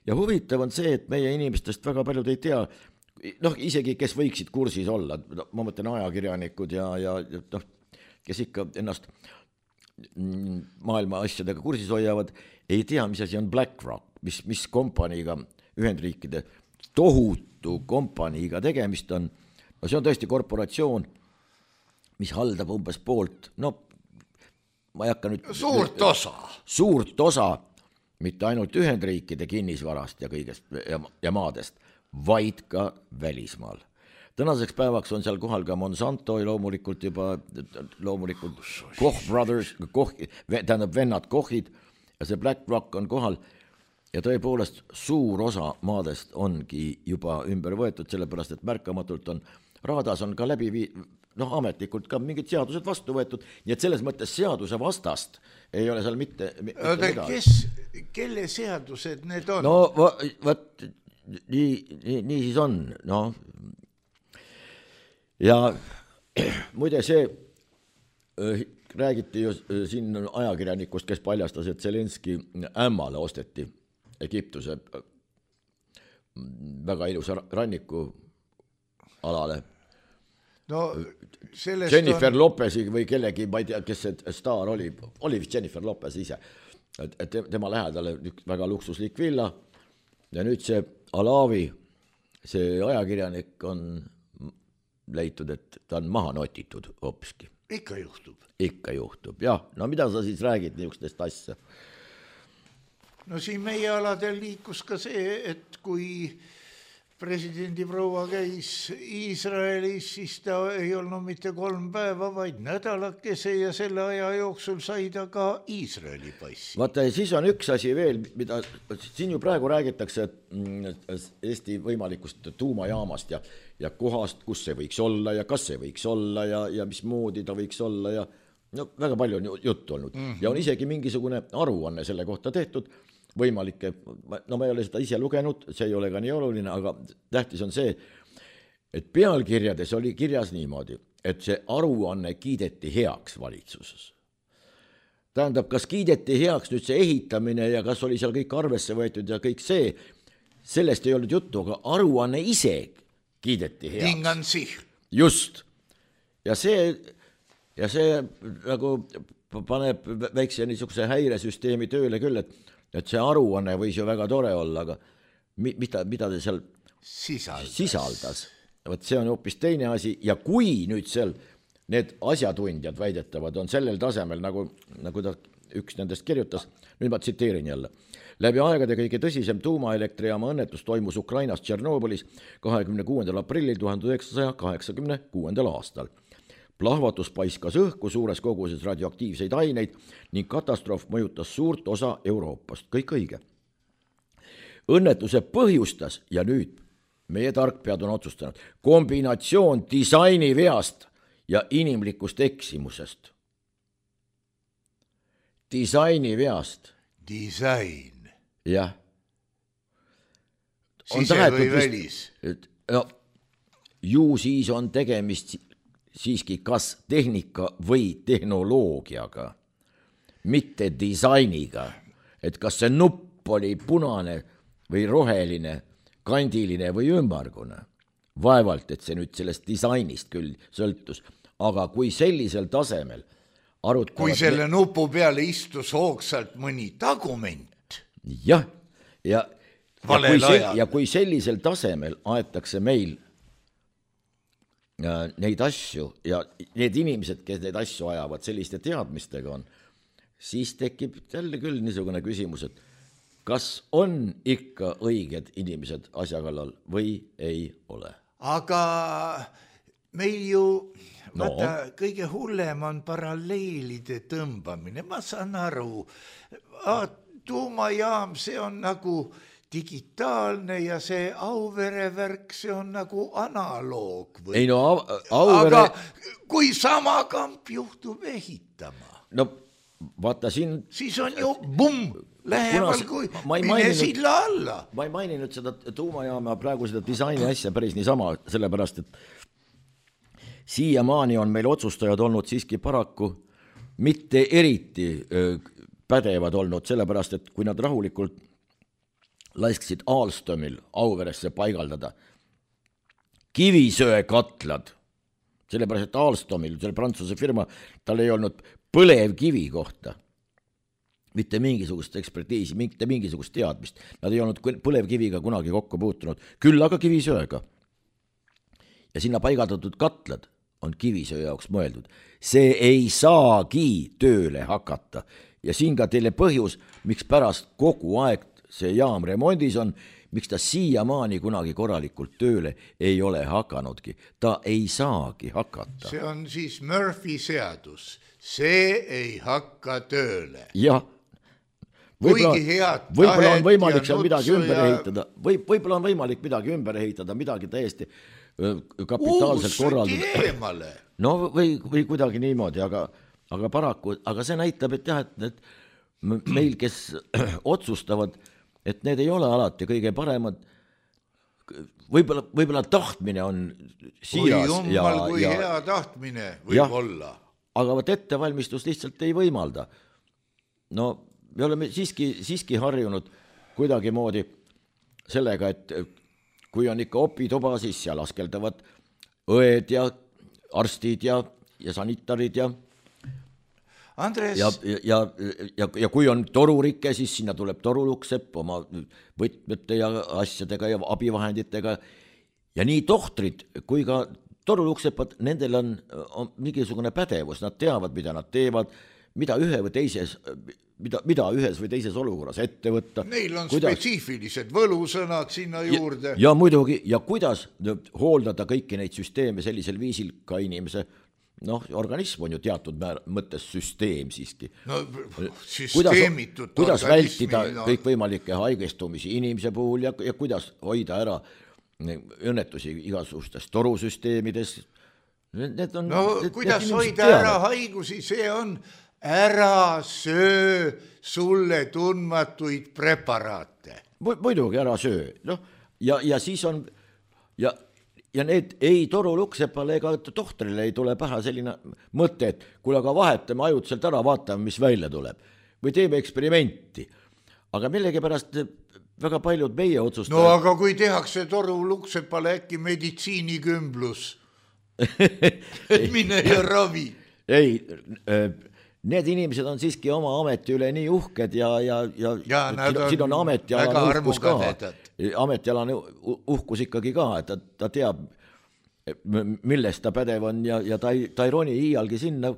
ja huvitav on see, et meie inimestest väga paljud ei tea, noh, isegi kes võiksid kursis olla, ma mõtlen ajakirjanikud ja, ja noh, kes ikka ennast maailma asjadega kursis hoiavad, ei tea, mis asi on BlackRock, mis, mis kompaniiga, Ühendriikide tohutu kompaniiga tegemist on. No see on tõesti korporatsioon, mis haldab umbes poolt, no ma ei hakka nüüd... Suurt osa. Suurt osa, mitte ainult Ühendriikide kinnisvarast ja kõigest ja, ja maadest, vaid ka välismaal. Tänaseks päevaks on seal kohal ka Monsanto ja loomulikult juba loomulikult Koch Brothers, Koch, tähendab vennad Kochid ja see BlackRock on kohal ja tõepoolest suur osa maadest ongi juba ümber võetud, sellepärast et märkamatult on, raadas on ka läbi vii, noh ametlikult ka mingid seadused vastu võetud, nii et selles mõttes seaduse vastast ei ole seal mitte, mitte Oda, midagi. Kes, kelle seadused need on? No võt, nii, nii, nii siis on, noh. Ja muide see äh, räägiti ju äh, siin ajakirjanikust, kes paljastas, et Zelenski ämmale osteti Egiptuse äh, väga ilusa ranniku alale. No, Jennifer on... Lopezi või kellegi, ma ei tea, kes see staar oli, oli vist Jennifer Lopez ise, et, et tema lähedale väga luksuslik villa ja nüüd see Alavi, see ajakirjanik on leitud, et ta on maha notitud hoopiski. Ikka juhtub. Ikka juhtub, jah. No mida sa siis räägid niisugustest asja? No siin meie aladel liikus ka see, et kui presidendi proua käis Iisraelis, siis ta ei olnud mitte kolm päeva, vaid nädalakese ja selle aja jooksul sai ta ka Iisraeli passi. Vaata, siis on üks asi veel, mida siin ju praegu räägitakse Eesti võimalikust tuumajaamast ja, ja kohast, kus see võiks olla ja kas see võiks olla ja, ja mismoodi ta võiks olla ja no väga palju on juttu olnud. Mm-hmm. Ja on isegi mingisugune aruanne selle kohta tehtud, võimalikke, no ma ei ole seda ise lugenud, see ei ole ka nii oluline, aga tähtis on see, et pealkirjades oli kirjas niimoodi, et see aruanne kiideti heaks valitsuses. Tähendab, kas kiideti heaks nüüd see ehitamine ja kas oli seal kõik arvesse võetud ja kõik see, sellest ei olnud juttu, aga aruanne ise kiideti heaks. Tingan sihl. Just. Ja see, ja see nagu paneb väikse niisuguse häiresüsteemi tööle küll, et et see aruanne võis ju väga tore olla, aga mida, mida ta seal sisaldas, sisaldas. Võt see on hoopis teine asi ja kui nüüd seal need asjatundjad väidetavad on sellel tasemel, nagu, nagu ta üks nendest kirjutas, nüüd ma tsiteerin jälle. Läbi aegade kõige tõsisem tuumaelektrijaama õnnetus toimus Ukrainas Tšernobõlis kahekümne kuuendal aprillil tuhande üheksasaja kaheksakümne kuuendal aastal. Plahvatus paiskas õhku suures koguses radioaktiivseid aineid ning katastroof mõjutas suurt osa Euroopast. Kõik õige. Õnnetuse põhjustas ja nüüd meie tarkpead on otsustanud kombinatsioon disaini veast ja inimlikust eksimusest. Disaini veast. Disain. Jah. Sise või välis? No, ju siis on tegemist siiski kas tehnika või tehnoloogiaga, mitte disainiga, et kas see nupp oli punane või roheline, kandiline või ümmargune. Vaevalt, et see nüüd sellest disainist küll sõltus, aga kui sellisel tasemel arutavad... Kui selle me... nupu peale istus hoogsalt mõni tagument. Jah, ja, ja, kui, sel, ja kui sellisel tasemel aetakse meil neid asju ja need inimesed, kes neid asju ajavad, selliste teadmistega on, siis tekib jälle küll niisugune küsimus, et kas on ikka õiged inimesed asja kallal või ei ole? Aga meil ju no. vaata, kõige hullem on paralleelide tõmbamine, ma saan aru, tuumajaam, see on nagu digitaalne ja see Auvere värk, see on nagu analoog või? Ei no Auvere... Aga kui sama kamp juhtub ehitama? No vaata siin... Siis on ju bumm, lähemal kui mine silla alla. Ma ei maininud seda tuumajaama praegu seda disaini asja päris niisama, sellepärast, et siiamaani on meil otsustajad olnud siiski paraku mitte eriti pädevad olnud, sellepärast, et kui nad rahulikult laisksid Alstomil Auveresse paigaldada kivisöekatlad, sellepärast, et Alstomil, selle prantsuse firma, tal ei olnud põlevkivi kohta mitte mingisugust ekspertiisi, mitte mingisugust teadmist. Nad ei olnud põlevkiviga kunagi kokku puutunud, küll aga kivisöega. Ja sinna paigaldatud katlad on kivisöö jaoks mõeldud. See ei saagi tööle hakata. Ja siin ka teile põhjus, miks pärast kogu aeg see jaam remondis on, miks ta siiamaani kunagi korralikult tööle ei ole hakanudki. Ta ei saagi hakata. See on siis Murphy seadus. See ei hakka tööle. Jah. Võib-olla, võib-olla on võimalik seal midagi ümber ja... ehitada. Või, võib-olla on võimalik midagi ümber ehitada, midagi täiesti kapitaalselt korraldada. No või, või kuidagi niimoodi, aga, aga paraku, aga see näitab, et jah, et, et meil, kes otsustavad, et need ei ole alati kõige paremad, võib-olla, võib-olla tahtmine on siiras. Oi jummal, kui ja, hea tahtmine võib ja, olla. Aga võt ettevalmistus lihtsalt ei võimalda. No me oleme siiski, siiski harjunud kuidagi moodi sellega, et kui on ikka opituba, siis seal askeldavad õed ja arstid ja, ja sanitarid ja Andres... Ja, ja, ja, ja kui on torurike, siis sinna tuleb toruluksepp oma võtmete ja asjadega ja abivahenditega. Ja nii tohtrid kui ka toruluksepad, nendel on, on mingisugune pädevus, nad teavad, mida nad teevad, mida ühe või teises, mida, mida ühes või teises olukorras ette võtta. Neil on kuidas, spetsiifilised võlusõnad sinna juurde. Ja, ja muidugi, ja kuidas hooldada kõiki neid süsteeme sellisel viisil ka inimese, noh, organism on ju teatud määr, mõttes süsteem siiski. No, süsteemitud kuidas, kuidas vältida no. kõikvõimalikke haigestumisi inimese puhul ja, ja kuidas hoida ära õnnetusi igasugustes torusüsteemides. Need on, no need, kuidas need hoida teavad. ära haigusi, see on ära söö sulle tundmatuid preparaate. Muidugi ära söö. No, ja, ja siis on ja Ja need ei toru luksepale ega tohtrile ei tule pähe selline mõte, et kuule aga vahetame ajutiselt ära, vaatame, mis välja tuleb. Või teeme eksperimenti. Aga millegipärast väga paljud meie otsustavad... No aga kui tehakse toru luksepale äkki meditsiinikümblus, et mine ja ravi. Ei, need inimesed on siiski oma ameti üle nii uhked ja, ja, ja, ja siin, siin on ametialane uhkus ka. Ametialane uhkus ikkagi ka, et ta, ta teab, millest ta pädev on ja, ja ta, ei, ta ei roni iialgi sinna,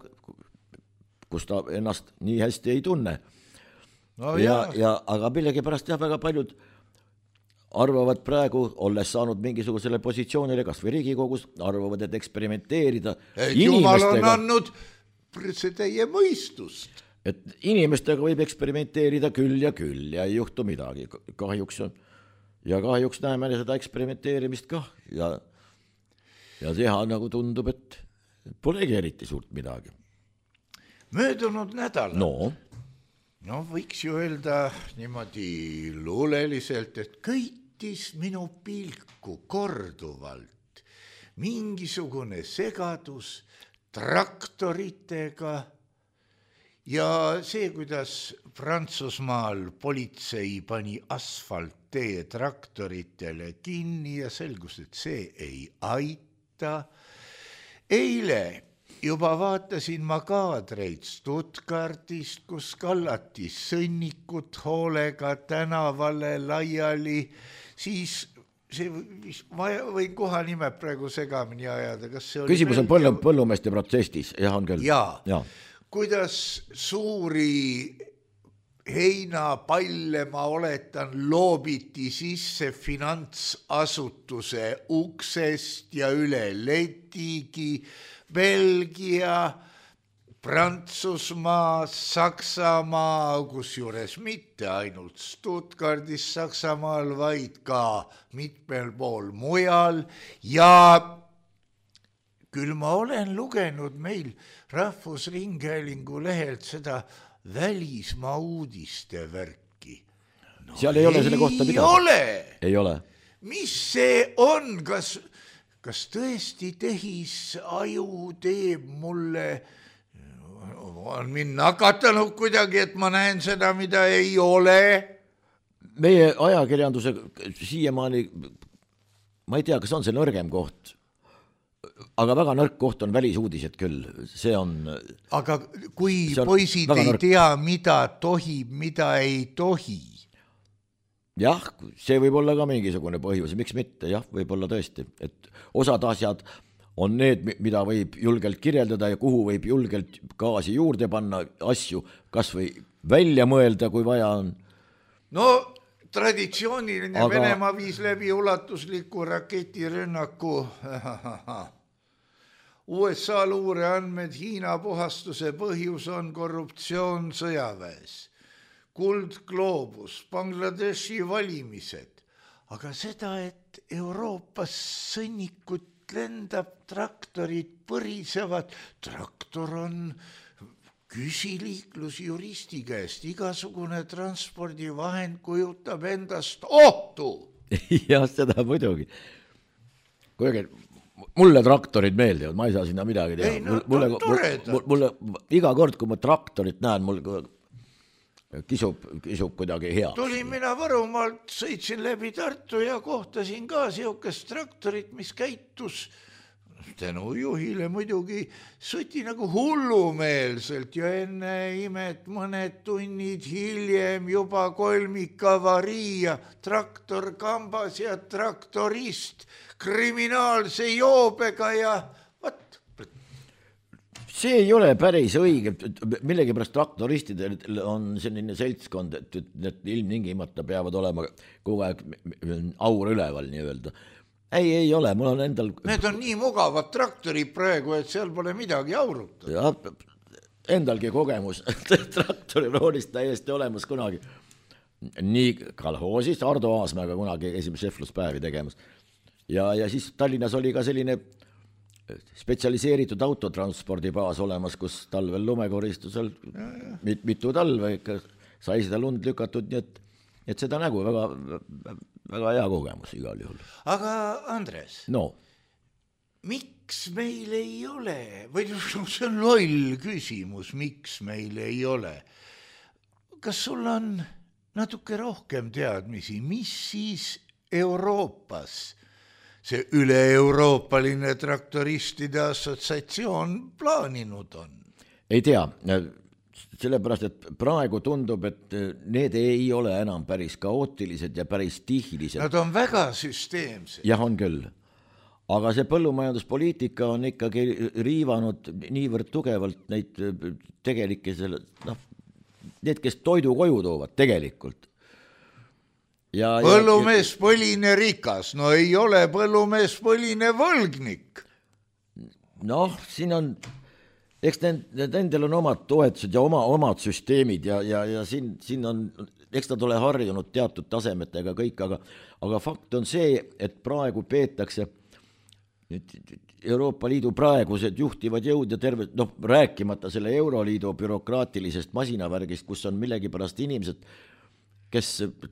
kus ta ennast nii hästi ei tunne. No, ja, ja, aga millegi pärast jah, väga paljud arvavad praegu, olles saanud mingisugusele positsioonile, kas või Riigikogus, arvavad, et eksperimenteerida. Et Jumal on andnud see teie mõistust. Et inimestega võib eksperimenteerida küll ja küll ja ei juhtu midagi. Kahjuks on, ja kahjuks näeme seda eksperimenteerimist ka ja, ja teha nagu tundub, et polegi eriti suurt midagi. Möödunud nädal. No. No võiks ju öelda niimoodi luuleliselt, et köitis minu pilku korduvalt mingisugune segadus traktoritega ja see, kuidas Prantsusmaal politsei pani asfalttee traktoritele kinni ja selgus, et see ei aita. Eile juba vaatasin ma kaadreid Stuttgartist, kus kallati sõnnikut hoolega tänavale laiali, siis see, ma võin koha nimed praegu segamini ajada. Kas see oli küsimus on põllu, põllumeeste protestis, jah on küll. Jaa, ja. Kuidas suuri heinapalle, ma oletan, loobiti sisse finantsasutuse uksest ja üle letigi, Belgia, Prantsusmaa, Saksamaa, kus juures mitte ainult Stuttgardis Saksamaal, vaid ka mitmel pool mujal ja küll ma olen lugenud meil Rahvusringhäälingu lehelt seda välismaa uudiste värki. No, seal ei ole selle kohta midagi. Ei ole. Ei ole. Mis see on? Kas, kas tõesti tehis aju teeb mulle, on mind nakatanud kuidagi, et ma näen seda, mida ei ole? Meie ajakirjanduse siiamaani, ma ei tea, kas on see nõrgem koht, aga väga nõrk koht on välisuudised küll, see on... Aga kui poisid ei nõrk. Tea, mida tohib, mida ei tohi? Jah, see võib olla ka mingisugune põhjus, miks mitte, jah, võib olla tõesti, et osad asjad on need, mida võib julgelt kirjeldada ja kuhu võib julgelt gaasi juurde panna, asju kas või välja mõelda, kui vaja on. No traditsiooniline aga... Venemaa viis läbi ulatusliku raketirünnaku. U S A luure andmed Hiina puhastuse põhjus on korruptsioon sõjaväes, kuldgloobus, Bangladeshi valimised, aga seda, et Euroopas sõnnikut lendab, traktorid põrisevad, traktor on küsiliiklusjuristi käest, igasugune transpordivahend kujutab endast ohtu. Jah, seda muidugi. Kuigi, mulle traktorid meeldivad, ma ei saa sinna midagi teha. Ei, no, mulle, mulle, mulle, iga kord, kui ma traktorit näen, mul kisub, kisub kuidagi hea. Tulin mina Võrumaalt, sõitsin läbi Tartu ja kohtasin ka siukest traktorit, mis käitus tänu juhile muidugi sõti nagu hullumeelselt ja enne imet mõned tunnid hiljem juba kolmikavarii, traktor kambas ja traktorist kriminaalse joobega ja vat. see ei ole päris õige, millegipärast traktoristidel on selline seltskond, et need ilmtingimata peavad olema kogu aeg aur üleval nii-öelda. Ei, ei ole, mul on endal... Need on nii mugavad traktorid praegu, et seal pole midagi auruta. Ja, endalgi kogemus traktoriroolist täiesti olemas kunagi. Nii kalhoosis Ardo Aasmäega kunagi esimese šefluspäevi tegemas. Ja, ja siis Tallinnas oli ka selline spetsialiseeritud autotranspordibaas olemas, kus talvel lumekoristusel mit, mitu talve ikka sai seda lund lükatud, nii et, et seda nägu väga, väga hea kogemus igal juhul. Aga Andres, no. miks meil ei ole, või see on loll küsimus, miks meil ei ole? Kas sul on natuke rohkem teadmisi, mis siis Euroopas see üle-euroopaline traktoristide assotsiatsioon plaaninud on? Ei tea, sellepärast, et praegu tundub, et need ei ole enam päris kaootilised ja päris tihilised. Nad on väga süsteemsed. Jah, on küll. Aga see põllumajanduspoliitika on ikkagi riivanud niivõrd tugevalt neid tegelikke selle, noh, need, kes toidu koju toovad tegelikult. Ja, põllumees ja, põline rikas, no ei ole põllumees põline võlgnik. Noh, siin on, eks nendel on omad toetused ja oma, omad süsteemid ja, ja, ja siin, siin on, eks nad ole harjunud teatud tasemetega kõik, aga, aga fakt on see, et praegu peetakse Euroopa Liidu praegused juhtivad jõud ja terve, noh, rääkimata selle Euroliidu bürokraatilisest masinavärgist, kus on millegipärast inimesed, kes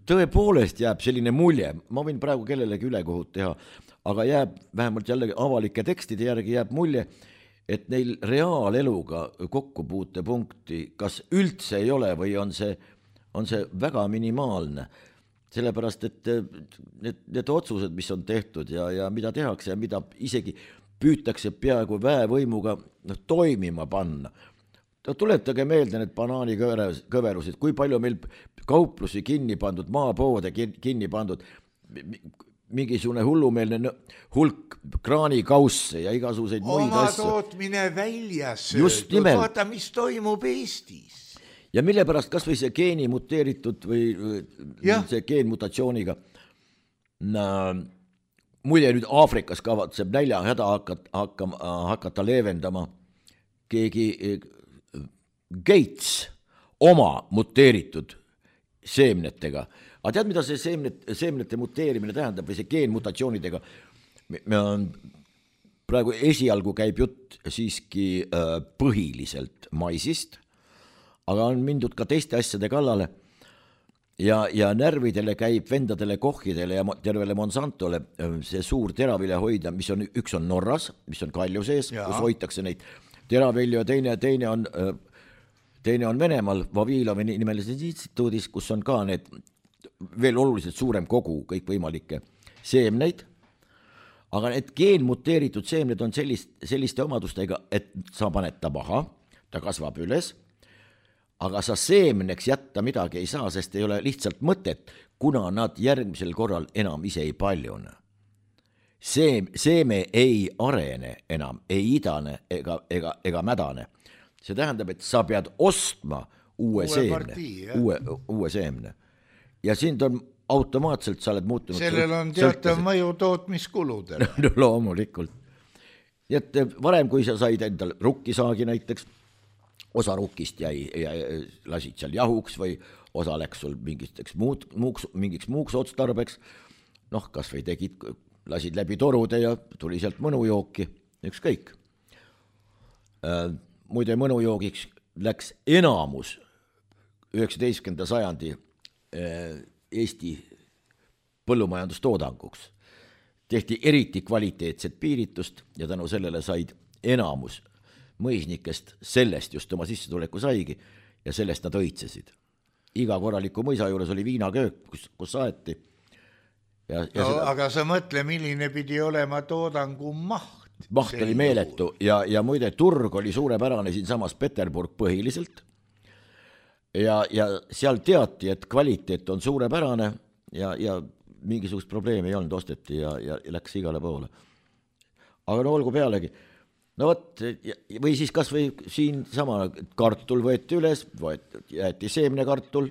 tõepoolest jääb selline mulje, ma võin praegu kellelegi ülekohut teha, aga jääb vähemalt jällegi avalike tekstide järgi jääb mulje, et neil reaaleluga kokkupuutepunkti kas üldse ei ole või on see, on see väga minimaalne. Sellepärast, et need, need otsused, mis on tehtud ja, ja mida tehakse ja mida isegi püütakse peaaegu väevõimuga noh, toimima panna. Tuletage meelde need banaanikõverusid, kui palju meil kauplusi kinni pandud, maapoode kinni pandud, mingisugune hullumeelne hulk kraanikausse ja igasuguseid muid asju. Oma tootmine väljas söödud, vaata, mis toimub Eestis. Ja mille pärast kas või see geeni muteeritud või ja. see geenmutatsiooniga na, muide nüüd Aafrikas kavatseb nälja häda hakata, hakka, hakata leevendama keegi Gates oma muteeritud seemnetega. Aga tead, mida see seemnet, seemnete muteerimine tähendab või see geenmutatsioonidega? Me on, praegu esialgu käib jutt siiski äh, põhiliselt maisist, aga on mindud ka teiste asjade kallale ja, ja närvidele käib vendadele kohhidele ja tervele Monsantole see suur teravilja hoida, mis on, üks on Norras, mis on Kalju sees, ja. kus hoitakse neid teravilju ja teine, teine on teine on Venemaal Vavilovi nimelises instituudis, kus on ka need veel oluliselt suurem kogu kõikvõimalikke seemneid, aga need geenmuteeritud seemned on sellist, selliste omadustega, et sa paned ta maha, ta kasvab üles, aga sa seemneks jätta midagi ei saa, sest ei ole lihtsalt mõtet, kuna nad järgmisel korral enam ise ei paljune. Seem, seeme ei arene enam, ei idane ega, ega, ega mädane. See tähendab, et sa pead ostma uue, uue seemne, partii, uue, uue seemne. Ja sind on automaatselt, sa oled muutunud. Sellel on teatav mõju tootmiskuludele. No loomulikult. Nii et varem, kui sa said endal rukkisaagi näiteks, osa rukkist jäi, jäi, lasid seal jahuks või osa läks sul mingiteks muud, muuks, mingiks muuks otstarbeks, noh, kas või tegid, lasid läbi torude ja tuli sealt mõnujooki, üks kõik. Äh, muide mõnujoogiks läks enamus üheksateistkümnenda sajandi äh, Eesti põllumajandustoodanguks. Tehti eriti kvaliteetset piiritust ja tänu sellele said enamus mõisnikest sellest just oma sissetuleku saigi ja sellest nad õitsesid. Iga korraliku mõisa juures oli viinaköök, kus, kus saeti. Ja, ja no, seda... Aga sa mõtle, milline pidi olema toodangu maht. Maht oli meeletu ja, ja muide turg oli suurepärane siin samas Peterburg põhiliselt ja, ja seal teati, et kvaliteet on suurepärane ja, ja mingisugust probleemi ei olnud, osteti ja, ja läks igale poole. Aga no olgu pealegi, no vot, või siis kas või siin sama kartul võeti üles, võeti, jäeti seemnekartul,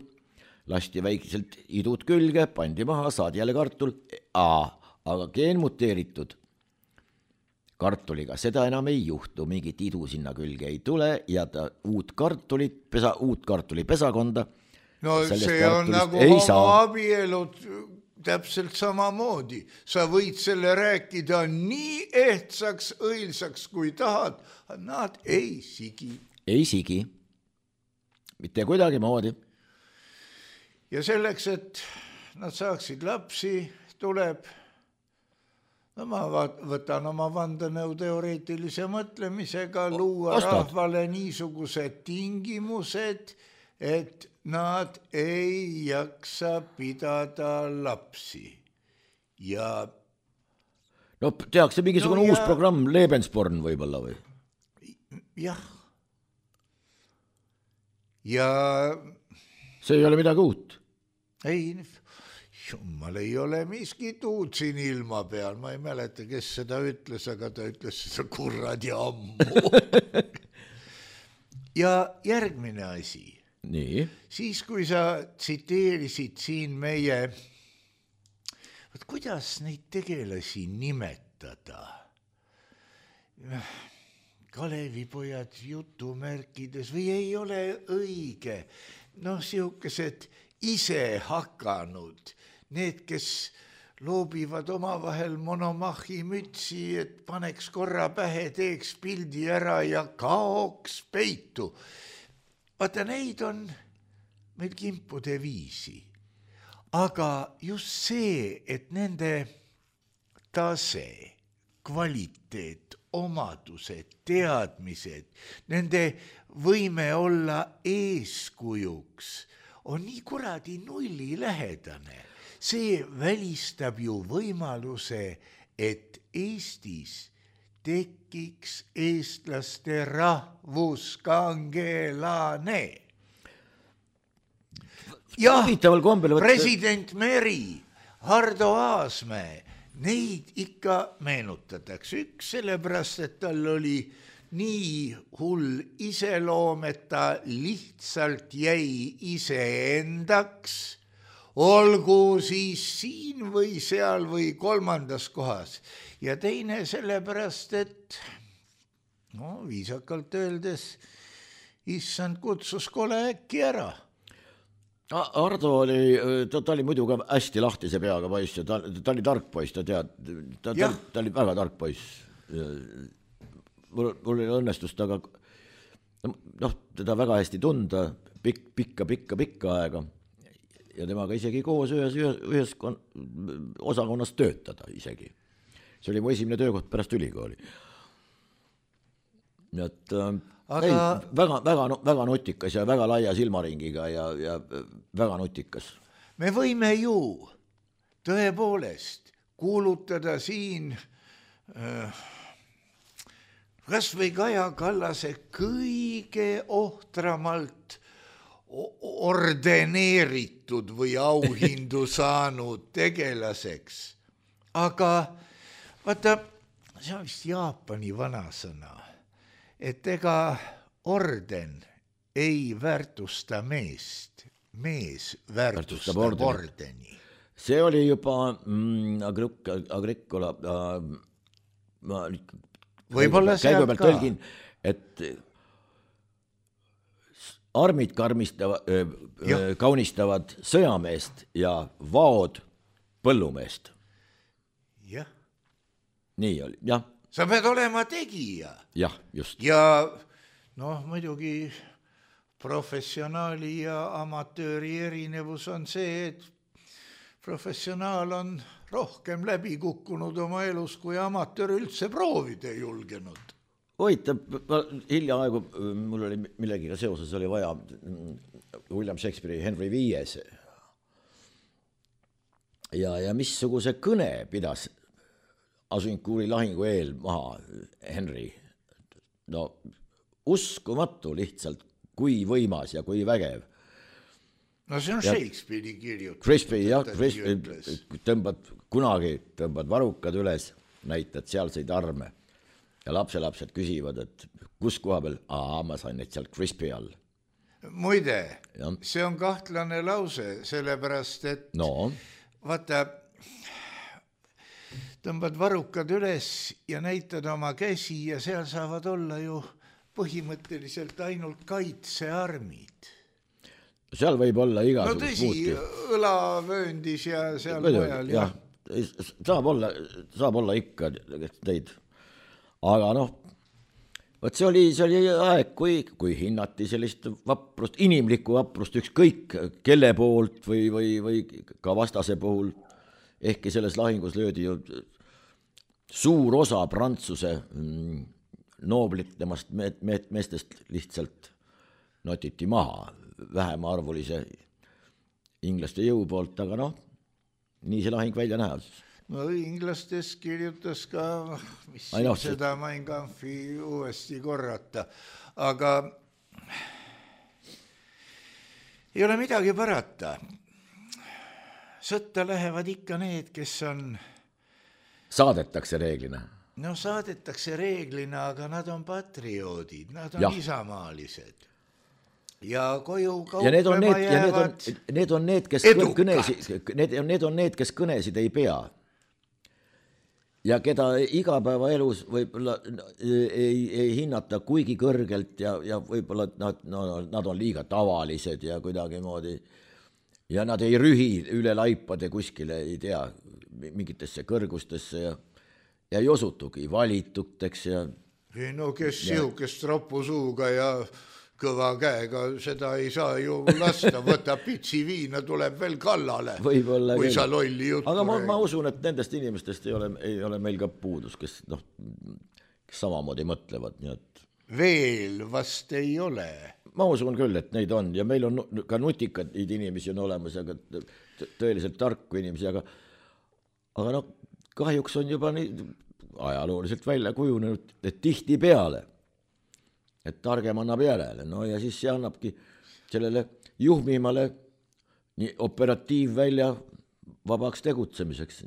lasti väikselt idud külge, pandi maha, saadi jälle kartul, aga geenmuteeritud kartuliga seda enam ei juhtu, mingit idu sinna külge ei tule ja ta uut kartulit, pesa, uut kartuli pesakonda. No see on nagu homoabielud täpselt samamoodi. Sa võid selle rääkida nii ehtsaks, õilsaks kui tahad, nad ei sigi. Ei sigi. Mitte kuidagi moodi. Ja selleks, et nad saaksid lapsi, tuleb no ma võtan oma vandenõu teoreetilise mõtlemisega luua Ostad. rahvale niisugused tingimused, et nad ei jaksa pidada lapsi. Ja no tehakse mingisugune no, uus ja... programm, Lebensborn võib-olla või? Jah. Ja see ei ole midagi uut. Ei, jummal ei ole miskit uut siin ilma peal, ma ei mäleta, kes seda ütles, aga ta ütles seda kurrad ja ammu. Ja järgmine asi. Nii. Siis, kui sa tsiteerisid siin meie, võt, kuidas neid tegelasi nimetada? Kalevipojad jutumärkides või ei ole õige? No siukesed ise hakanud, need, kes loobivad omavahel monomahi mütsi, et paneks korra pähe, teeks pildi ära ja kaoks peitu. Vaata, neid on meil kimpude viisi. Aga just see, et nende tase, kvaliteet, omadused, teadmised, nende võime olla eeskujuks, on nii kuradi nulli lähedane. See välistab ju võimaluse, et Eestis tekiks eestlaste rahvuskangelane. Jah, president Meri, Hardo Aasmäe, neid ikka meenutatakse. Üks sellepärast, et tal oli nii hull iseloom, et ta lihtsalt jäi iseendaks, olgu siis siin või seal või kolmandas kohas. Ja teine sellepärast, et no, viisakalt öeldes issand kutsus kole äkki ära. Hardo oli, ta, ta oli muidu ka hästi lahtise peaga poiss ja ta, ta oli tark poiss, ta tead, ta, ta, ta oli väga tark poiss. Mul, mul oli õnnestust, aga noh, teda väga hästi tunda pikk, pikka, pikka, pikka aega ja temaga isegi koos ühes, ühes, ühes kon, osakonnas töötada isegi. See oli mu esimene töökoht pärast ülikooli. Et, aga... ei, väga, väga, väga nutikas ja väga laia silmaringiga ja, ja väga nutikas. Me võime ju tõepoolest kuulutada siin äh, kas või Kaja Kallase kõige ohtramalt ordeneeritud või auhindu saanud tegelaseks. Aga vaata, see on vist Jaapani vanasõna, et ega orden ei väärtusta meest, mees väärtustab ordeni. See oli juba mm, Agricola äh, ma võib-olla sealt ka. Tõlgin, et armid karmistavad, öö, kaunistavad sõjameest ja vaod põllumeest. Jah. Nii oli, jah. Sa pead olema tegija. Jah, just. Ja noh, muidugi professionaali ja amatööri erinevus on see, et professionaal on rohkem läbi kukkunud oma elus, kui amatöör üldse proovida julgenud. Oita, hiljaaegu mul oli millegiga seoses oli vaja William Shakespeare'i Henry viies. Ja, ja missuguse kõne pidas Agincourt'i lahingu eel maha Henry. No uskumatu lihtsalt, kui võimas ja kui vägev. No see on ja Shakespeare'i kirjutus. Shakespeare, jah, tõmbad kunagi, tõmbad varukad üles, näitad sealseid arme. ja lapselapsed küsivad, et kus koha peal, aa, ma sain neid sealt Crispy all. Muide, Ja. see on kahtlane lause, sellepärast, et No, vaata, tõmbad varrukad üles ja näitad oma käsi ja seal saavad olla ju põhimõtteliselt ainult kaitsearmid. seal võib olla No igasugust tõsi, muuti. õlavööndis ja seal mujal. jah, saab olla, saab olla ikka teid. Aga noh, võt see oli, see oli aeg, kui, kui hinnati sellist vaprust, inimlikku vaprust ükskõik kelle poolt või, või, või ka vastase puhul, ehkki selles lahingus löödi ju suur osa Prantsuse mm, nooblitlemast me- me- meestest lihtsalt notiti maha vähemaarvulise inglaste jõu poolt, aga noh, nii see lahing välja näeb. No inglastes kirjutas ka, mis Ai, no, seda Mein Kampfi uuesti korrata, aga ei ole midagi parata. Sõtta lähevad ikka need, kes on, Saadetakse reeglina. no saadetakse reeglina, aga nad on patrioodid, nad on Jah. isamaalised. Ja koju Ja need on kauplema need, ja need on, jäävad need on need, kes edukad. kõnesid, need, need on need, kes kõnesid ei pea. Ja keda igapäevaelus võib-olla ei, ei hinnata kuigi kõrgelt ja, ja võib-olla nad, no, nad on liiga tavalised ja kuidagi moodi ja nad ei rühi üle laipade kuskile, ei tea, mingitesse kõrgustesse ja, ja ei osutugi valituteks ja ei no kes sihukest ropusuuga ja kõva käega, seda ei saa ju lasta, võtab pitsi viina, tuleb veel kallale, Võib-olla kui küll. sa lolli juttu aga ma, räägid. ma usun, et nendest inimestest ei ole, ei ole meil ka puudus, kes noh, kes samamoodi mõtlevad, nii et Veel vast ei ole. ma usun küll, et neid on ja meil on nu- ka nutikaid inimesi on olemas, aga t- tõeliselt tarku inimesi, aga aga noh, kahjuks on juba nii ajalooliselt välja kujunenud, et tihtipeale et targem annab järele, no ja siis see annabki sellele juhmimale nii operatiivvälja vabaks tegutsemiseks.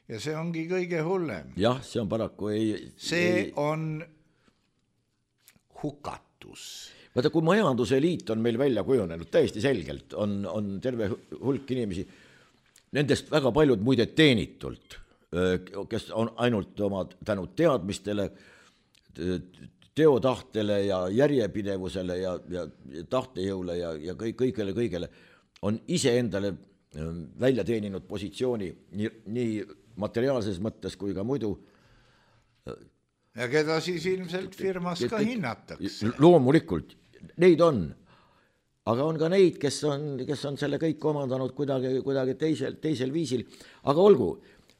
Ja see ongi kõige hullem. Jah, see on paraku ei... See ei, on hukatus. vaata, kui majanduse liit on meil välja kujunenud, täiesti selgelt on, on terve hulk inimesi, nendest väga paljud muide teenitult, kes on ainult oma tänu teadmistele, teotahtele ja järjepidevusele ja, ja tahtejõule ja, ja kõik, kõigele, kõigele on iseendale välja teeninud positsiooni nii, nii materiaalses mõttes kui ka muidu. Ja keda siis ilmselt firmas ka hinnatakse. Loomulikult, neid on, aga on ka neid, kes on, kes on selle kõik omandanud kuidagi, kuidagi teisel, teisel viisil, aga olgu,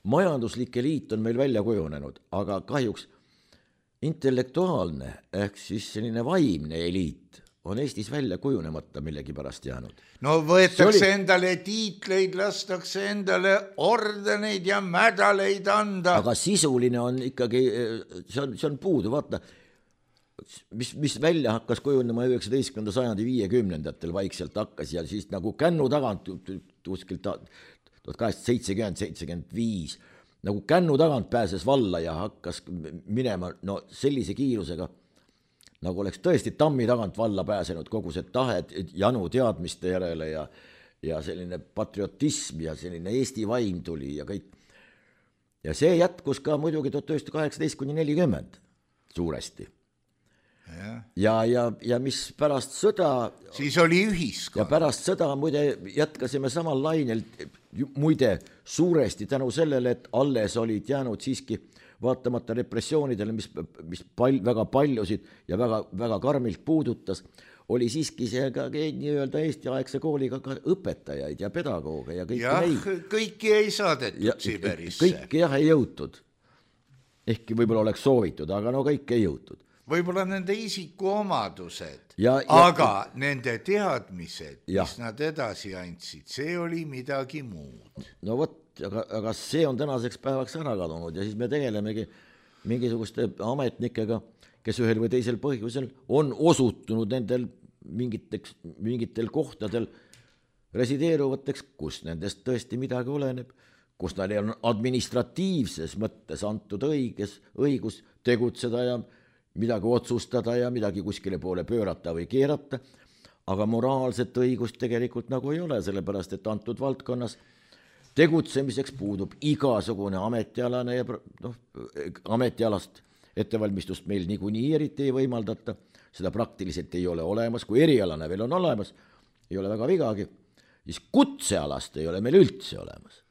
majanduslike liit on meil välja kujunenud, aga kahjuks intellektuaalne ehk siis selline vaimne eliit on Eestis välja kujunemata millegi pärast jäänud. No võetakse oli... endale tiitleid, lastakse endale ordeneid ja mädaleid anda. Aga sisuline on ikkagi, see on, see on puudu, vaata, mis, mis välja hakkas kujunema üheksateistkümnenda sajandi viiekümnendatel vaikselt hakkas ja siis nagu kännu tagant kuskilt tuhat kaheksasada seitsekümmend, seitsekümmend viis nagu kännu tagant pääses valla ja hakkas minema no sellise kiirusega, nagu oleks tõesti tammi tagant valla pääsenud kogu see tahe janu teadmiste järele ja, ja selline patriotism ja selline Eesti vaim tuli ja kõik. Ja see jätkus ka muidugi tuhat üheksasada kaheksateist kuni nelikümmend suuresti. Ja, ja, ja, ja mis pärast sõda... Siis oli ühiskond. Ja pärast sõda muide jätkasime samal lainel muide suuresti tänu sellele, et alles olid jäänud siiski vaatamata repressioonidele, mis, mis pal, väga paljusid ja väga, väga karmilt puudutas, oli siiski see ka nii-öelda Eesti aegse kooliga ka õpetajaid ja pedagooge ja kõiki jah, neid. Kõiki ei saadetud ja, Siberisse. Kõiki jah ei jõutud. Ehkki võib-olla oleks soovitud, aga no kõik ei jõutud. Võib-olla nende isikuomadused, ja, ja, aga nende teadmised, ja. mis nad edasi andsid, see oli midagi muud. No vot, aga, aga see on tänaseks päevaks ära kadunud ja siis me tegelemegi mingisuguste ametnikega, kes ühel või teisel põhjusel on osutunud nendel mingiteks, mingitel kohtadel resideeruvateks, kus nendest tõesti midagi oleneb, kus neil on administratiivses mõttes antud õiges, õigus tegutseda ja midagi otsustada ja midagi kuskile poole pöörata või keerata, aga moraalset õigust tegelikult nagu ei ole, sellepärast et antud valdkonnas tegutsemiseks puudub igasugune ametialane ja noh, ametialast ettevalmistust meil niikuinii eriti ei võimaldata, seda praktiliselt ei ole olemas, kui erialane veel on olemas, ei ole väga vigagi, siis kutsealast ei ole meil üldse olemas.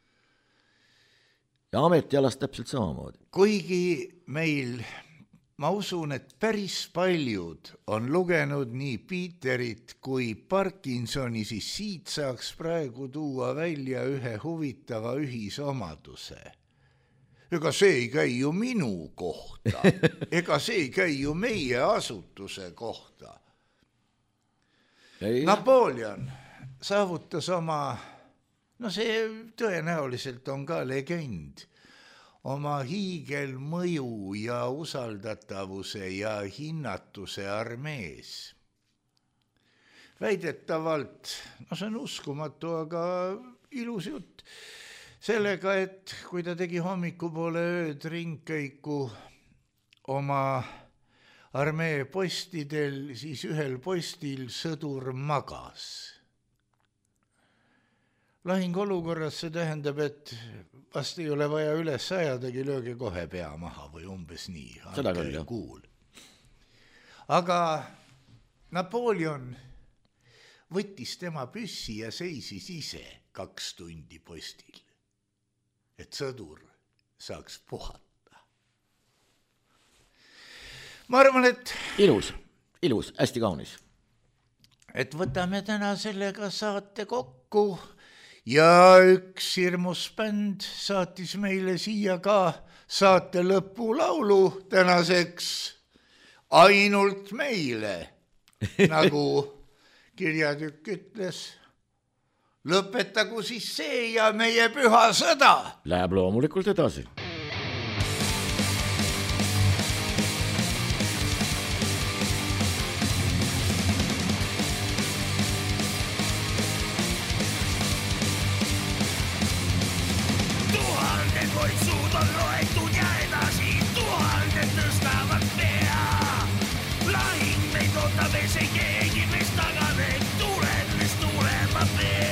Ja ametialast täpselt samamoodi. Kuigi meil, ma usun, et päris paljud on lugenud nii Peterit kui Parkinsoni, siis siit saaks praegu tuua välja ühe huvitava ühisomaduse. Ega see ei käi ju minu kohta, ega see ei käi ju meie asutuse kohta. Ei. Napoleon saavutas oma, no see tõenäoliselt on ka legend, oma hiigelmõju ja usaldatavuse ja hinnatuse armees. Väidetavalt, no see on uskumatu, aga ilus jutt, sellega, et kui ta tegi hommikupoole ööd ringkäiku oma armee postidel, siis ühel postil sõdur magas. Lahingolukorras see tähendab, et vast ei ole vaja üles ajadagi, lööge kohe pea maha või umbes nii. Seda küll, jah. Kuul. Aga Napoleon võttis tema püssi ja seisis ise kaks tundi postil, et sõdur saaks puhata. Ma arvan, et... Ilus, ilus, hästi kaunis. Et võtame täna sellega saate kokku ja üks hirmus bänd saatis meile siia ka saate lõpulaulu tänaseks ainult meile, nagu kirjatükk ütles. Lõpetagu siis see ja meie püha sõda. Läheb loomulikult edasi. Tuhandet voitsud on loetud ja edasi tuhandet tõstavad pea. Lahing meid ootab ees ei keegi meist taganeb, tuleb meist tulema pea.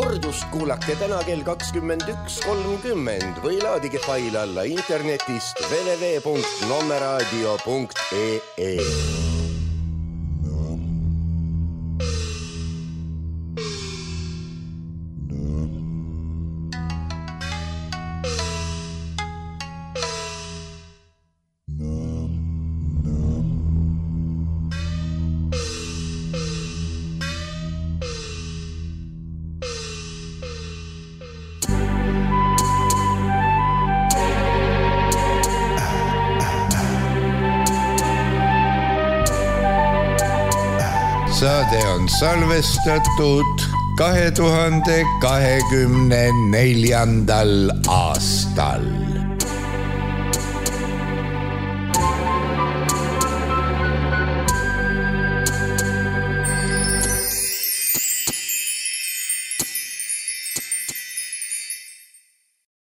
kordust kuulake täna kell kakskümmend üks kolmkümmend või laadige fail alla internetist w w w punkt nommeraadio punkt e e. Saade on salvestatud kahe tuhande kahekümne neljandal aastal.